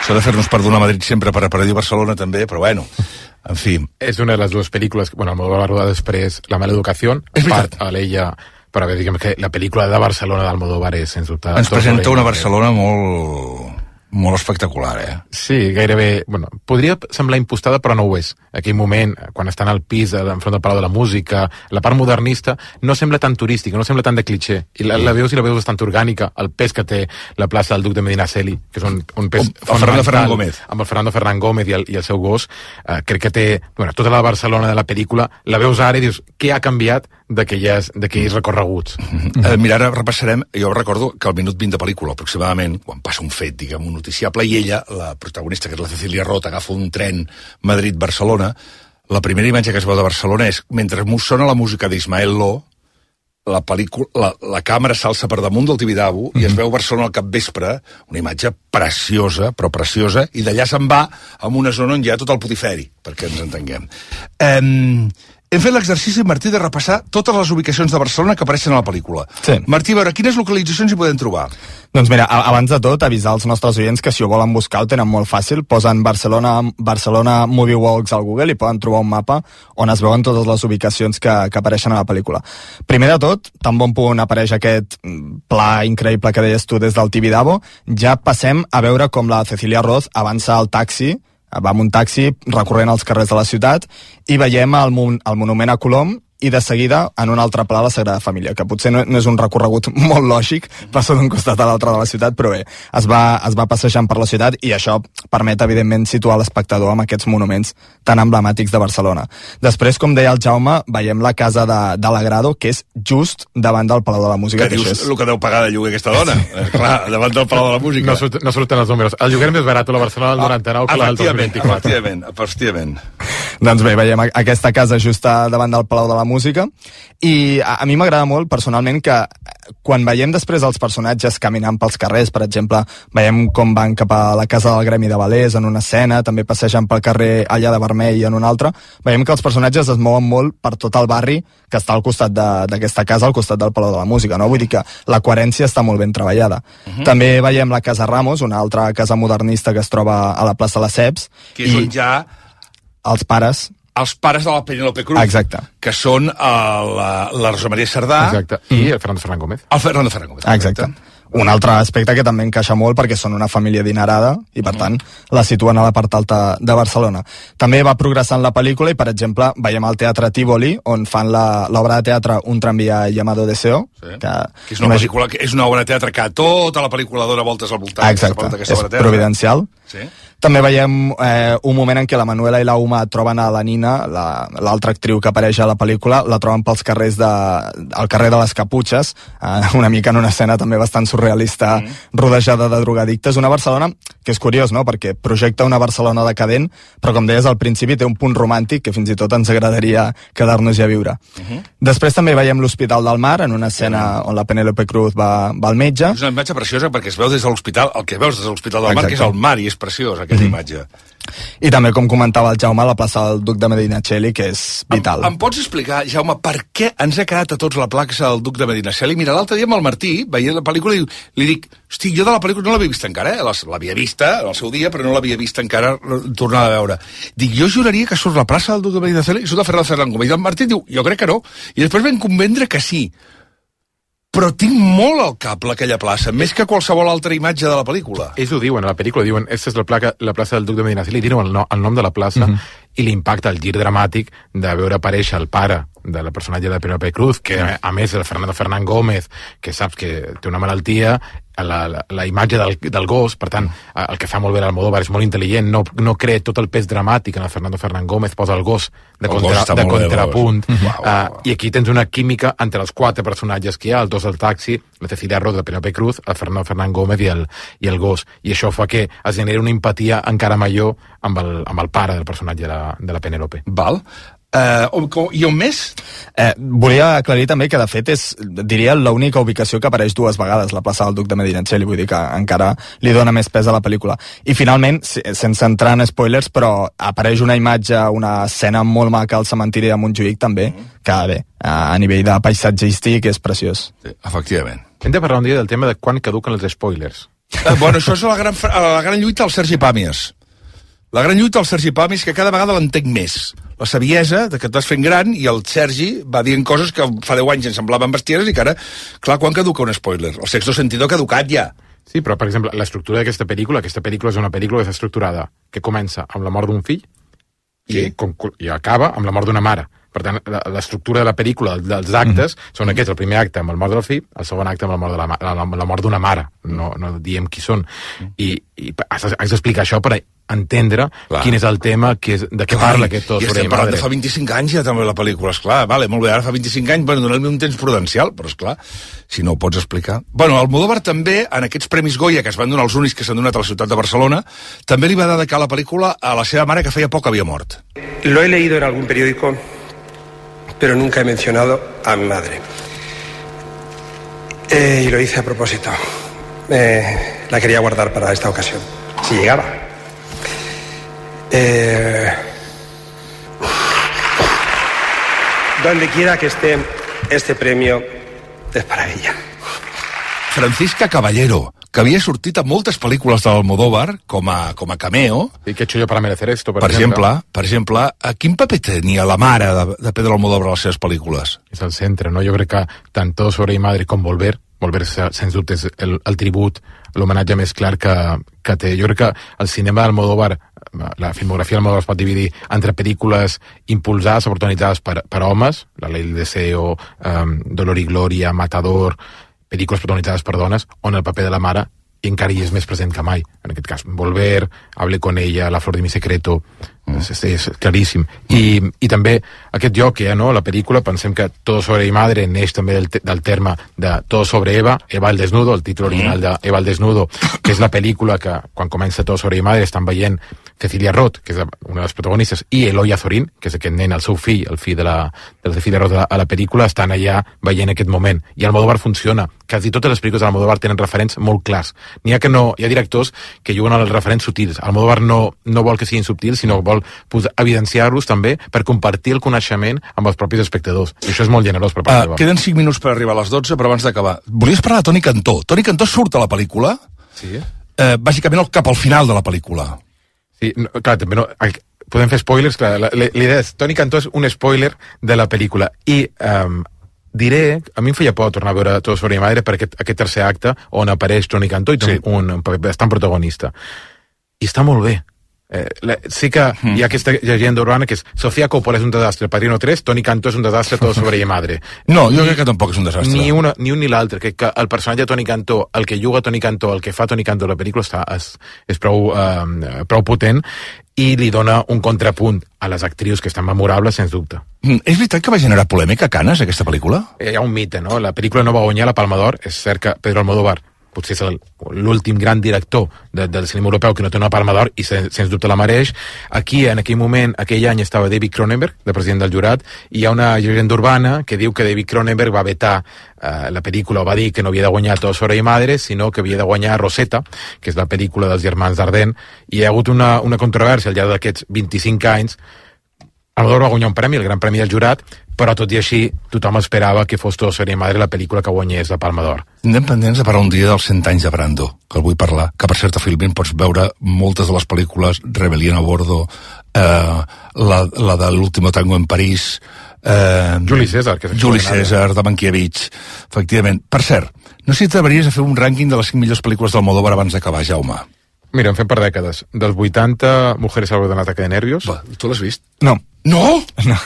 S'ha de fer-nos perdonar Madrid sempre per a dir Barcelona també, però bueno, en fi. És una de les dues pel·lícules, bueno, Almodóvar va rodar després La mala educació, a part a l'ella... Però bé, diguem que la pel·lícula de Barcelona d'Almodóvar és, sens dubte... Ens presenta una Barcelona molt... molt espectacular, eh? Sí, gairebé... Bueno, podria semblar impostada, però no ho és. Aquell moment, quan estan al pis, enfront del Palau de la Música, la part modernista, no sembla tan turística, no sembla tan de cliché. I la, la veus i la veus bastant orgànica, el pes que té la plaça del Duc de Medinaceli, que és un, un pes el Fernando Ferran Gómez. Amb el Fernando Ferran Gómez i el, i el seu gos. Eh, crec que té... Bueno, tota la Barcelona de la pel·lícula, la veus ara i dius, què ha canviat d'aquelles recorreguts? Mm-hmm. eh, mira, ara repassarem, jo recordo que al minut vint de pel·lícula, aproximadament, quan passa un fet, diguem, un noticiable, i ella, la protagonista, que és la Cecilia Roth, agafa un tren Madrid-Barcelona. La primera imatge que es veu de Barcelona és, mentre sona la música d'Ismael Lo, la, pel·lícula, la, la càmera s'alça per damunt del Tibidabo mm-hmm. i es veu Barcelona al capvespre, una imatge preciosa, però preciosa, i d'allà se'n va a una zona on hi ha tot el putiferi, perquè ens entenguem. Um, hem fet l'exercici, Martí, de repassar totes les ubicacions de Barcelona que apareixen a la pel·lícula. Sí. Martí, a veure, quines localitzacions hi podem trobar? Doncs mira, abans de tot, avisar els nostres oients que si ho volen buscar ho tenen molt fàcil. Posen Barcelona, Barcelona Movie Walks al Google i poden trobar un mapa on es veuen totes les ubicacions que, que apareixen a la pel·lícula. Primer de tot, tan bon punt apareix aquest pla increïble que deies tu des del Tibidabo, ja passem a veure com la Cecilia Roth avança al taxi, va amb un taxi recorrent els carrers de la ciutat i veiem el, mon el monument a Colom i de seguida en un altre pla la Sagrada Família, que potser no, no és un recorregut molt lògic, passa d'un costat a l'altre de la ciutat, però bé, es va, es va passejant per la ciutat i això permet, evidentment, situar l'espectador amb aquests monuments tan emblemàtics de Barcelona. Després, com deia el Jaume, veiem la casa de, de l'Agrado, que és just davant del Palau de la Música. Que, que dius és... el que deu pagar de lloguer aquesta dona? Clar, davant del Palau de la Música. No, surt, no surten els números. El lloguer més barat a la Barcelona del noranta-nou que la del dos mil vint-i-quatre. Efectivament, efectivament. Doncs bé, veiem aquesta casa just davant del Palau de la Música i a, a mi m'agrada molt personalment que quan veiem després els personatges caminant pels carrers, per exemple, veiem com van cap a la casa del Gremi de Valers en una escena, també passegen pel carrer allà de Vermell en una altra, veiem que els personatges es mouen molt per tot el barri que està al costat d'aquesta casa, al costat del Palau de la Música, no? Vull dir que la coherència està molt ben treballada. Uh-huh. També veiem la Casa Ramos, una altra casa modernista que es troba a la plaça Lesseps. Que és on ja... Els pares... Els pares de la Penélope Cruz. Exacte. Que són el, la, la Rosa Maria Cerdà. Exacte. I el Fernando Ferran Gómez. El Fernando Ferran Gómez. Exacte. Exacte. Un altre aspecte que també encaixa molt perquè són una família adinerada i, per tant, la situen a la part alta de Barcelona. També va progressant la pel·lícula i, per exemple, veiem al Teatre Tívoli, on fan l'obra de teatre Un tranvía llamado Deseo. Sí. Que, que és una imagi... pel·lícula, que és una obra de teatre que tota la pel·lícula dona voltes al voltant. Exacte, és providencial. Sí. També veiem eh, un moment en què la Manuela i la Uma troben a la Nina, l'altra la, actriu que apareix a la pel·lícula, la troben pels carrers de, al carrer de les Caputxes, eh, una mica en una escena també bastant surrealista, mm. rodejada de drogadictes. Una Barcelona que és curiós, no?, perquè projecta una Barcelona decadent, però com deies al principi té un punt romàntic que fins i tot ens agradaria quedar-nos-hi a viure. Uh -huh. Després també veiem l'Hospital del Mar, en una escena on la Penélope Cruz va, va al metge. És una imatge preciosa perquè es veu des de l'hospital, el que veus des de l'Hospital del Mar, que és el mar, i és preciós aquella mm-hmm. imatge. I també, com comentava el Jaume, la plaça del Duc de Medinaceli, que és vital. Em, em pots explicar, Jaume, per què ens ha quedat a tots la plaça del Duc de Medinaceli? Mira, l'altre dia amb el Martí, veient la pel·lícula, i li dic, hosti, jo de la pel·lícula no l'havia vista encara, eh? L'havia vista en el seu dia, però no l'havia vista encara tornada a veure. Dic, jo juraria que surt la plaça del Duc de Medinaceli i surt de Ferran Ferran Gómez. I el Martí diu, jo crec que no. I després vam convendre que sí. Però tinc molt al cap aquella plaça, més que qualsevol altra imatge de la pel·lícula. Ells ho diuen a la pel·lícula, diuen, aquesta és la, placa, la plaça del Duc de Medinaceli, diuen el, no, el nom de la plaça, uh-huh. i l'impacte, el gir dramàtic de veure aparèixer el pare de la personatge de Penélope Cruz, que a, a més el Fernando Fernan Gómez, que saps que té una malaltia, la, la, la imatge del, del gos, per tant, el que fa molt bé l'Almodóvar és molt intel·ligent, no, no crea tot el pes dramàtic en el Fernando Fernan Gómez, posa el gos de, el contra, gos de contrapunt, bé, uh, uh, i aquí tens una química entre els quatre personatges que hi ha, els dos del taxi, la Cecilia Roth de Penélope Cruz, el Fernando Fernan Gómez i el, i el gos, i això fa que es generi una empatia encara major amb el, amb el pare del personatge de la, de la Penélope. Val. Uh, I on més? Eh, volia aclarir també que de fet és, diria, l'única ubicació que apareix dues vegades, la plaça del Duc de Medinaceli, vull dir que encara li dona més pes a la pel·lícula. I finalment, sense entrar en spoilers, però apareix una imatge, una escena molt maca al cementiri de Montjuïc també, que bé, a nivell de paisatgístic és preciós. Sí, efectivament. Hem de parlar un dia del tema de quan caduquen els spoilers. Uh, bueno, això és la gran, la gran lluita del Sergi Pàmies. La gran lluita del Sergi Pàmies, que cada vegada l'entenc més. La saviesa de que et vas fent gran i el Sergi va dient coses que fa deu anys ens semblaven bestieres i que ara, clar, quan caduca un spoiler? El sexto sentido ha caducat ja. Sí, però, per exemple, l'estructura d'aquesta pel·lícula, aquesta pel·lícula és una pel·lícula que està estructurada, que comença amb la mort d'un fill i, sí. i acaba amb la mort d'una mare. Per tant, l'estructura de la pel·lícula, dels actes, mm. són aquests. El primer acte amb el mort del fill, el segon acte amb la mort de la, la, la mort d'una mare. No, no diem qui són. Mm. I, i has, has d'explicar això per entendre clar. Quin és el tema, que és, de què clar, parla aquest tot. I estem parlant de fa vint-i-cinc anys ja també la pel·lícula, esclar. Vale, molt bé, ara fa vint-i-cinc anys, bueno, donar-li un temps prudencial, però esclar, si no ho pots explicar. Bueno, Almodóvar també, en aquests Premis Goya, que es van donar els únics que s'han donat a la ciutat de Barcelona, també li va dedicar la pel·lícula a la seva mare, que feia poc havia mort. Lo he leído en algún periódico, pero nunca he mencionado a mi madre. Eh, y lo hice a propósito. Eh, la quería guardar para esta ocasión, si llegaba. Eh... donde quiera que esté, este premio es para ella. Francisca Caballero, que havia sortit a moltes pel·lícules de l'Almodóvar com a, com a cameo. I que he hecho yo para merecer esto, per, per exemple. exemple. Per exemple, a quin paper tenia la mare de, de Pedro Almodóvar a les seves pel·lícules? És el centre, no? Jo crec que tant Todo sobre mi madre com Volver, Volver sens dubte és el, el tribut, l'homenatge més clar que, que té. Jo crec que el cinema d'Almodóvar, la filmografia d'Almodóvar es pot dividir entre pel·lícules impulsades o protagonitzades per, per homes, La ley del deseo, um, Dolor y gloria, Matador, pel·lícules protagonitzades per dones, on el paper de la mare encara hi és més present que mai. En aquest cas, Volver, Hable con ella, La flor de mi secreto, mm. és, és claríssim. I, I també aquest joc que hi ha, no? La pel·lícula, pensem que Todo sobre mi madre neix també del, del terme de Todo sobre Eva, Eva al desnudo, el títol original de Eva al desnudo, que és la pel·lícula que, quan comença Todo sobre mi madre, estan veient Cecilia Roth, que és una de les protagonistes, i Eloy Azorín, que és aquest nen, el seu fill, el fill de la, de la Cecilia Roth a la, a la pel·lícula, estan allà veient aquest moment. I Almodóvar funciona. Quasi totes les pel·lícules d'Almodóvar tenen referents molt clars. N'hi ha que no, hi ha directors que juguen als referents sutils. Almodóvar no, no vol que siguin subtils, sinó vol evidenciar-los també per compartir el coneixement amb els propis espectadors. I això és molt generós per part uh, Queden cinc minuts per arribar a les dotze, però abans d'acabar. Volies parlar de Toni Cantó. Toni Cantó surt a la pel·lícula, sí. eh, bàsicament cap al final de la pel·lícula. Sí, no, clar, també no... Podem fer spoilers, clar, la, la, l'idea és... Toni Cantó és un spoiler de la pel·lícula. I um, diré... A mi em feia por tornar a veure Todo sobre mi madre per aquest, aquest tercer acte on apareix Toni Cantó i té sí. un, un paper bastant protagonista. I està molt bé. Eh, la, sí que mm. hi ha aquesta llegenda urbana que és Sofía Coppola és un desastre, Padrino tres, Toni Cantó és un desastre, Todo sobre mi madre. No, jo crec que tampoc és un desastre. Ni, una, ni un ni l'altre. Crec que el personatge de Toni Cantó, el que juga Toni Cantó, el que fa Toni Cantó a la pel·lícula està, és, és prou, eh, prou potent i li dona un contrapunt a les actrius que estan memorables, sens dubte. Mm, és veritat que va generar polèmica a Canes, aquesta pel·lícula? Hi ha un mite, no? La pel·lícula no va guanyar la Palma d'Or, és cert que Pedro Almodóvar potser és l'últim gran director de, del cinema europeu que no té una Palma d'Or i sens, sens dubte la mereix. Aquí, en aquell moment, aquell any estava David Cronenberg, de president del jurat, i hi ha una llegenda urbana que diu que David Cronenberg va vetar eh, la pel·lícula, o va dir que no havia de guanyar Todo sobre mi madre, sinó que havia de guanyar Rosetta, que és la pel·lícula dels germans Dardenne, i hi ha hagut una, una controvèrsia al llarg d'aquests vint-i-cinc anys. Almodóvar va guanyar un premi, el Gran Premi del Jurat, però tot i així tothom esperava que fos Todo sobre mi madre la pel·lícula que guanyés la Palma d'Or. Anem pendents de parlar un dia dels cent anys de Brando, que el vull parlar, que per cert a Filmin pots veure moltes de les pel·lícules, Rebelión a bordo, eh, la, la de l'último tango en París, eh, Juli César, que és Juli César, de Mankiewicz, efectivament. Per cert, no sé si t'atreviries a fer un rànquing de les cinc millors pel·lícules d'Almodóvar abans d'acabar, Jaume. Mira, en fem per dècades. Dels vuitanta, Mujeres al borde d'un ataque de nervios. Va, tu l'has vist? No. No? No.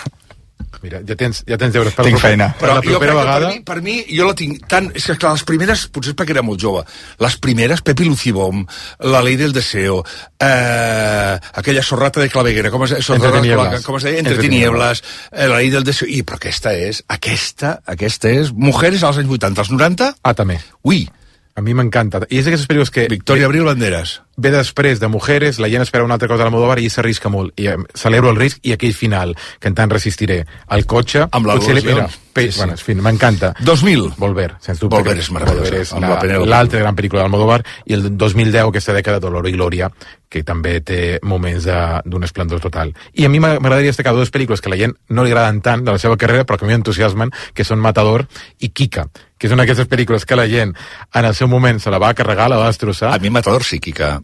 Mira, ja tens, ja tens deures per tinc feina. Per la propera vegada... Per mi, per mi, jo la tinc tan... És que clar, les primeres, potser és perquè era molt jove, les primeres, Pepi Lucibom, La ley del deseo, eh, aquella sorrata de claveguera, com es, sorrata, com es deia? Entre tinieblas, eh, La ley del deseo... I, però aquesta és, aquesta, aquesta és... Mujeres als anys vuitanta, als noranta? Ah, també. Ui. A mi m'encanta. I és d'aquestes pel·lícules que... Victoria Abril Banderas. Ve després de Mujeres, la gent espera una altra cosa a l'Almodóvar i s'arrisca molt. I eh, celebro el risc i aquell final, que en tant resistiré. El cotxe... Amb la Lola Sí, sí. Bueno, en fi, m'encanta. dos mil. Volver, sens dubte. Volver és meravellós. Volver és la, l'altra gran pel·lícula d'Almodóvar. I el dos mil deu, aquesta dècada, Dolor i Glòria, que també té moments d'un esplendor total. I a mi m'agradaria destacar dues pel·lícules que a la gent no li agraden tant de la seva carrera, però que a mi m'entusiasmen, que són Matador i Kika, que és una d'aquestes pel·lícules que la gent en el seu moment se la va carregar, la va destrossar. A mi Matador sí, Kika.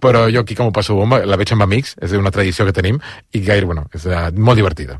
Però jo Kika m'ho passo bomba, la veig amb amics, és una tradició que tenim, i gaire, bueno, és uh, molt divertida.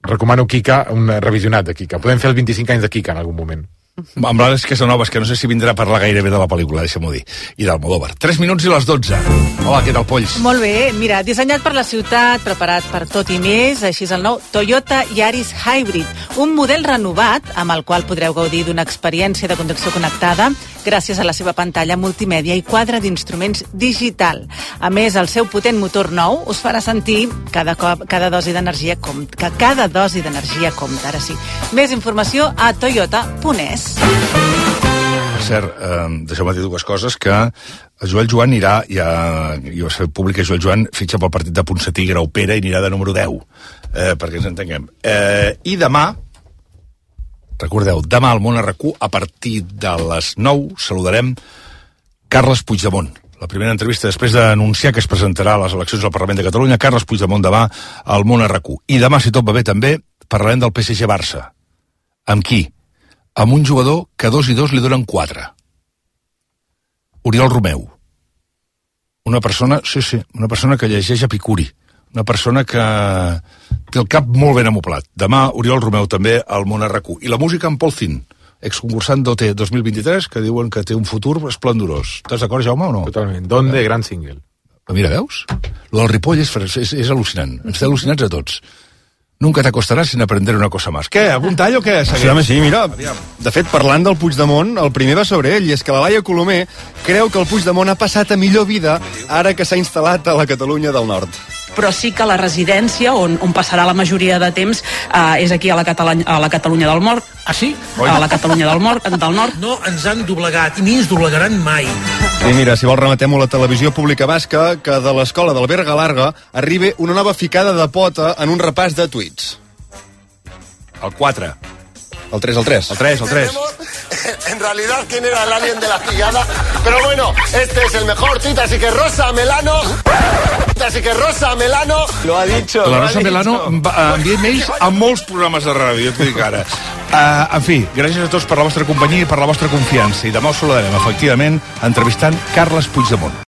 Recomano Kika, un revisionat de Kika. Podem fer els vint-i-cinc anys de Kika en algun moment. Amb l'Àlex Casanovas, que no sé si vindrà a parlar gairebé de la pel·lícula, deixa'm-ho dir, i d'Almodóvar. tres minuts i les dotze. Hola, què tal, Polls? Molt bé, mira, dissenyat per la ciutat, preparat per tot i més, així és el nou Toyota Yaris Hybrid, un model renovat amb el qual podreu gaudir d'una experiència de conducció connectada gràcies a la seva pantalla multimèdia i quadre d'instruments digital. A més, el seu potent motor nou us farà sentir cada cop, cada dosi d'energia com, que cada dosi d'energia compta, ara sí. Més informació a toyota punt es. Per cert, eh, deixeu-me dir dues coses, que el Joel Joan irà, ja, jo sé públic que Joel Joan fitxa pel partit de Ponsatí, Graupera, i anirà de número deu, eh, perquè ens entenguem. Eh, I demà, recordeu, demà al Món R Q, a partir de les nou, saludarem Carles Puigdemont. La primera entrevista després d'anunciar que es presentarà a les eleccions al Parlament de Catalunya, Carles Puigdemont demà al Món R Q. I demà, si tot va bé, també parlarem del P S G Barça. Amb qui? Amb un jugador que dos i dos li donen quatre. Oriol Romeu. Una persona, sí, sí, una persona que llegeix Epicuri. Una persona que té el cap molt ben amoblat. Demà, Oriol Romeu també al Món R Q. I la música amb Paul Zin, exconcursant d'O T dos mil vint-i-tres, que diuen que té un futur esplendorós. Estàs d'acord, Jaume, o no? Totalment. Donde, gran single. Mira, veus? Lo del Ripoll és, és, és al·lucinant. Ens té al·lucinats a tots. Nunca t'acostaràs sin aprender una cosa más. Què, algun tall o què? Sí, home, sí, mira, de fet, parlant del Puigdemont, el primer va sobre ell, i és que la Laia Colomer creu que el Puigdemont ha passat a millor vida ara que s'ha instal·lat a la Catalunya del Nord. Però sí que la residència on, on passarà la majoria de temps eh, és aquí a la, Catalunya, a la Catalunya del Nord. Ah, sí? A la Catalunya del Nord, del Nord. No ens han doblegat, i ni ens doblegaran mai. I mira, si vols rematem-ho a la televisió pública basca, que de l'escola del Berga Larga arribi una nova ficada de pota en un repàs de tuits. El quatre. El tres, el tres. El tres, el tres. En realidad, ¿quién era el alien de la pillada? Pero bueno, este es el mejor tuit, así que Rosa Melano... Así que Rosa Melano... Lo ha dicho. La lo Rosa ha Melano envia mails a molts programes de ràdio, et dic ara. Uh, en fi, gràcies a tots per la vostra companyia i per la vostra confiança. I demà us saludarem, efectivament, entrevistant Carles Puigdemont.